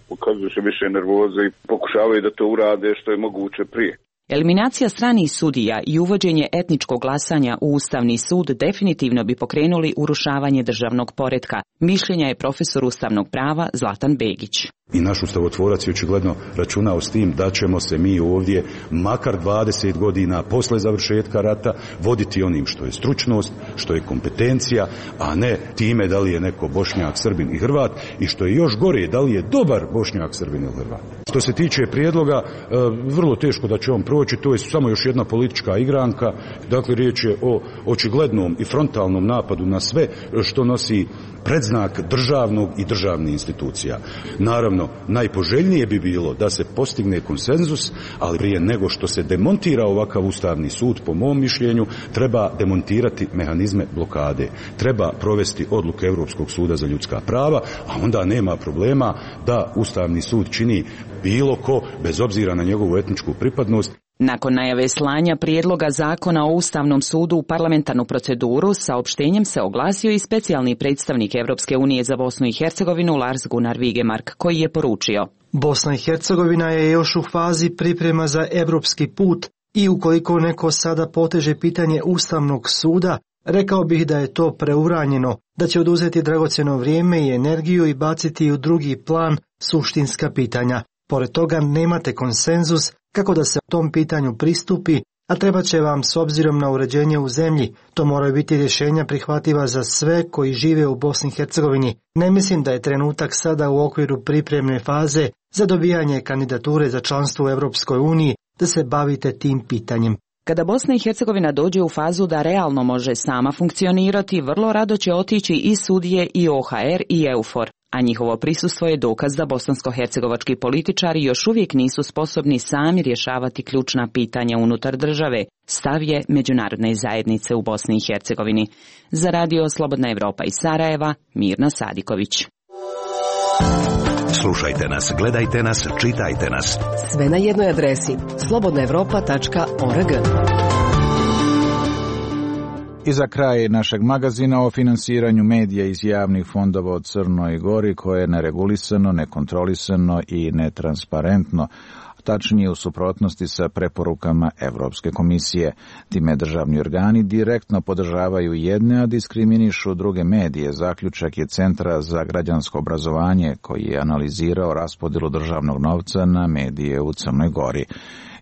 pokazuju se više nervoze i pokušavaju da to urade što je moguće prije. Eliminacija stranih sudija i uvođenje etničkog glasanja u Ustavni sud definitivno bi pokrenuli urušavanje državnog poretka, mišljenja je profesor ustavnog prava Zlatan Begić. I naš ustavotvorac je očigledno računao s tim da ćemo se mi ovdje makar dvadeset godina posle završetka rata voditi onim što je stručnost, što je kompetencija, a ne time da li je neko Bošnjak, Srbin i Hrvat i što je još gore, da li je dobar Bošnjak, Srbin ili Hrvat. Što se tiče prijedloga, vrlo teško da će on proći, to je samo još jedna politička igranka, dakle riječ je o očiglednom i frontalnom napadu na sve što nosi predznak državnog i državnih institucija. Naravno, najpoželjnije bi bilo da se postigne konsenzus, ali prije nego što se demontira ovakav Ustavni sud, po mom mišljenju, treba demontirati mehanizme blokade. Treba provesti odluke Europskog suda za ljudska prava, a onda nema problema da Ustavni sud čini bilo ko, bez obzira na njegovu etničku pripadnost. Nakon najave slanja prijedloga zakona o Ustavnom sudu u parlamentarnu proceduru, saopštenjem se oglasio i specijalni predstavnik Evropske unije za Bosnu i Hercegovinu Lars Gunnar Vigemark, koji je poručio: Bosna i Hercegovina je još u fazi priprema za evropski put i ukoliko neko sada poteže pitanje Ustavnog suda, rekao bih da je to preuranjeno, da će oduzeti dragocjeno vrijeme i energiju i baciti u drugi plan suštinska pitanja. Pored toga nemate konsenzus kako da se tom pitanju pristupi, a treba će vam s obzirom na uređenje u zemlji. To moraju biti rješenja prihvatljiva za sve koji žive u Bosni i Hercegovini. Ne mislim da je trenutak sada u okviru pripremne faze za dobijanje kandidature za članstvo u Europskoj uniji da se bavite tim pitanjem. Kada Bosna i Hercegovina dođe u fazu da realno može sama funkcionirati, vrlo rado će otići i sudije i o ha er i EUFOR, a njihovo prisustvo je dokaz da bosansko-hercegovački političari još uvijek nisu sposobni sami rješavati ključna pitanja unutar države, stav je međunarodne zajednice u Bosni i Hercegovini. Za radio Slobodna Evropa iz Sarajeva, Mirna Sadiković. Slušajte nas, gledajte nas, čitajte nas. Sve na jednoj adresi slobodna evropa tačka org. I za kraj našeg magazina o finansiranju medija iz javnih fondova od Crnoj Gori, koje je neregulisano, nekontrolisano i netransparentno, tačnije u suprotnosti sa preporukama Evropske komisije. Time državni organi direktno podržavaju jedne, a diskriminišu druge medije. Zaključak je Centra za građansko obrazovanje, koji je analizirao raspodjelu državnog novca na medije u Crnoj Gori.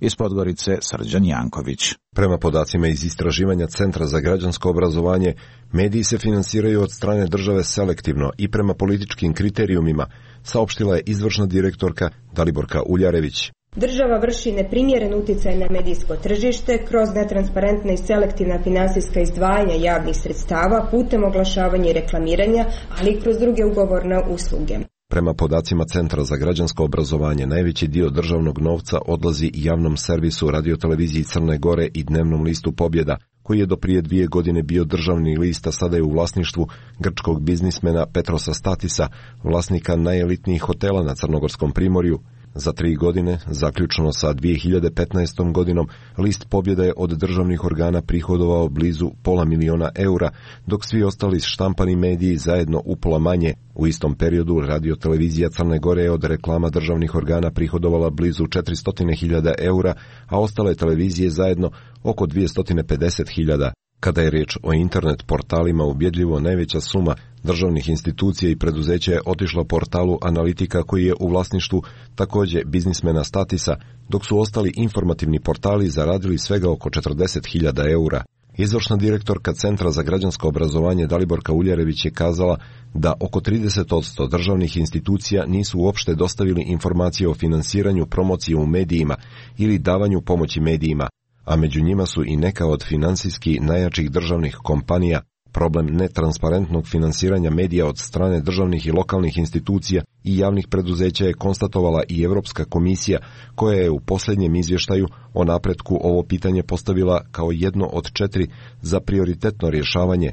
Iz Podgorice Srđan Janković. Prema podacima iz istraživanja Centra za građansko obrazovanje, mediji se finansiraju od strane države selektivno i prema političkim kriterijumima, saopštila je izvršna direktorka Daliborka Uljarević. Država vrši neprimjeren utjecaj na medijsko tržište kroz netransparentna i selektivna finansijska izdvajanja javnih sredstava putem oglašavanja i reklamiranja, ali i kroz druge ugovorne usluge. Prema podacima Centra za građansko obrazovanje, najveći dio državnog novca odlazi javnom servisu radioteleviziji Crne Gore i dnevnom listu Pobjeda, koji je do prije dvije godine bio državni list, a sada je u vlasništvu grčkog biznismena Petrosa Statisa, vlasnika najelitnijih hotela na Crnogorskom primorju. Za tri godine, zaključno sa dvije hiljade petnaestom godinom, list Pobjeda je od državnih organa prihodovao blizu pola miliona eura, dok svi ostali štampani mediji zajedno upola manje. U istom periodu radiotelevizija Crne Gore je od reklama državnih organa prihodovala blizu četiristo hiljada eura, a ostale televizije zajedno oko dvjesto pedeset hiljada. Kada je riječ o internet portalima, ubjedljivo najveća suma državnih institucija i preduzeća je otišla portalu Analitika koji je u vlasništvu također biznismena Statisa, dok su ostali informativni portali zaradili svega oko četrdeset hiljada eura. Izvršna direktorka Centra za građansko obrazovanje Daliborka Uljarević je kazala da oko trideset posto državnih institucija nisu uopšte dostavili informacije o finansiranju promocije u medijima ili davanju pomoći medijima, a među njima su i neka od finansijski najjačih državnih kompanija. Problem netransparentnog finansiranja medija od strane državnih i lokalnih institucija i javnih preduzeća je konstatovala i Europska komisija, koja je u posljednjem izvještaju o napretku ovo pitanje postavila kao jedno od četiri za prioritetno rješavanje.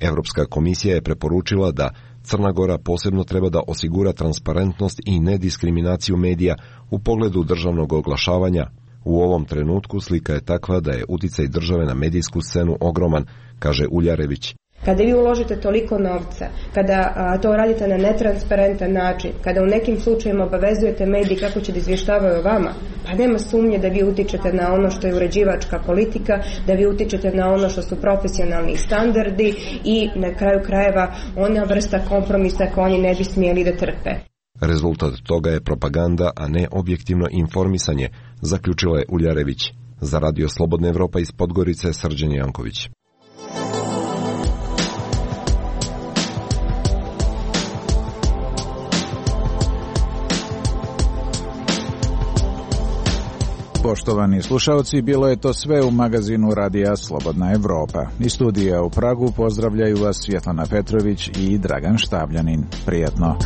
Europska komisija je preporučila da Crna Gora posebno treba da osigura transparentnost i nediskriminaciju medija u pogledu državnog oglašavanja. U ovom trenutku slika je takva da je uticaj države na medijsku scenu ogroman, kaže Uljarević. Kada vi uložite toliko novca, kada a, to radite na netransparentan način, kada u nekim slučajima obavezujete mediji kako će da izvještavaju o vama, pa nema sumnje da vi utičete na ono što je uređivačka politika, da vi utičete na ono što su profesionalni standardi i na kraju krajeva ona vrsta kompromisa koju oni ne bi smjeli da trpe. Rezultat toga je propaganda, a ne objektivno informisanje, zaključila je Uljarević. Za Radio Slobodna Evropa iz Podgorice, Srđan Janković. Poštovani slušalci, bilo je to sve u magazinu Radija Slobodna Evropa. Iz studija u Pragu pozdravljaju vas Svjetlana Petrović i Dragan Štabljanin. Prijetno.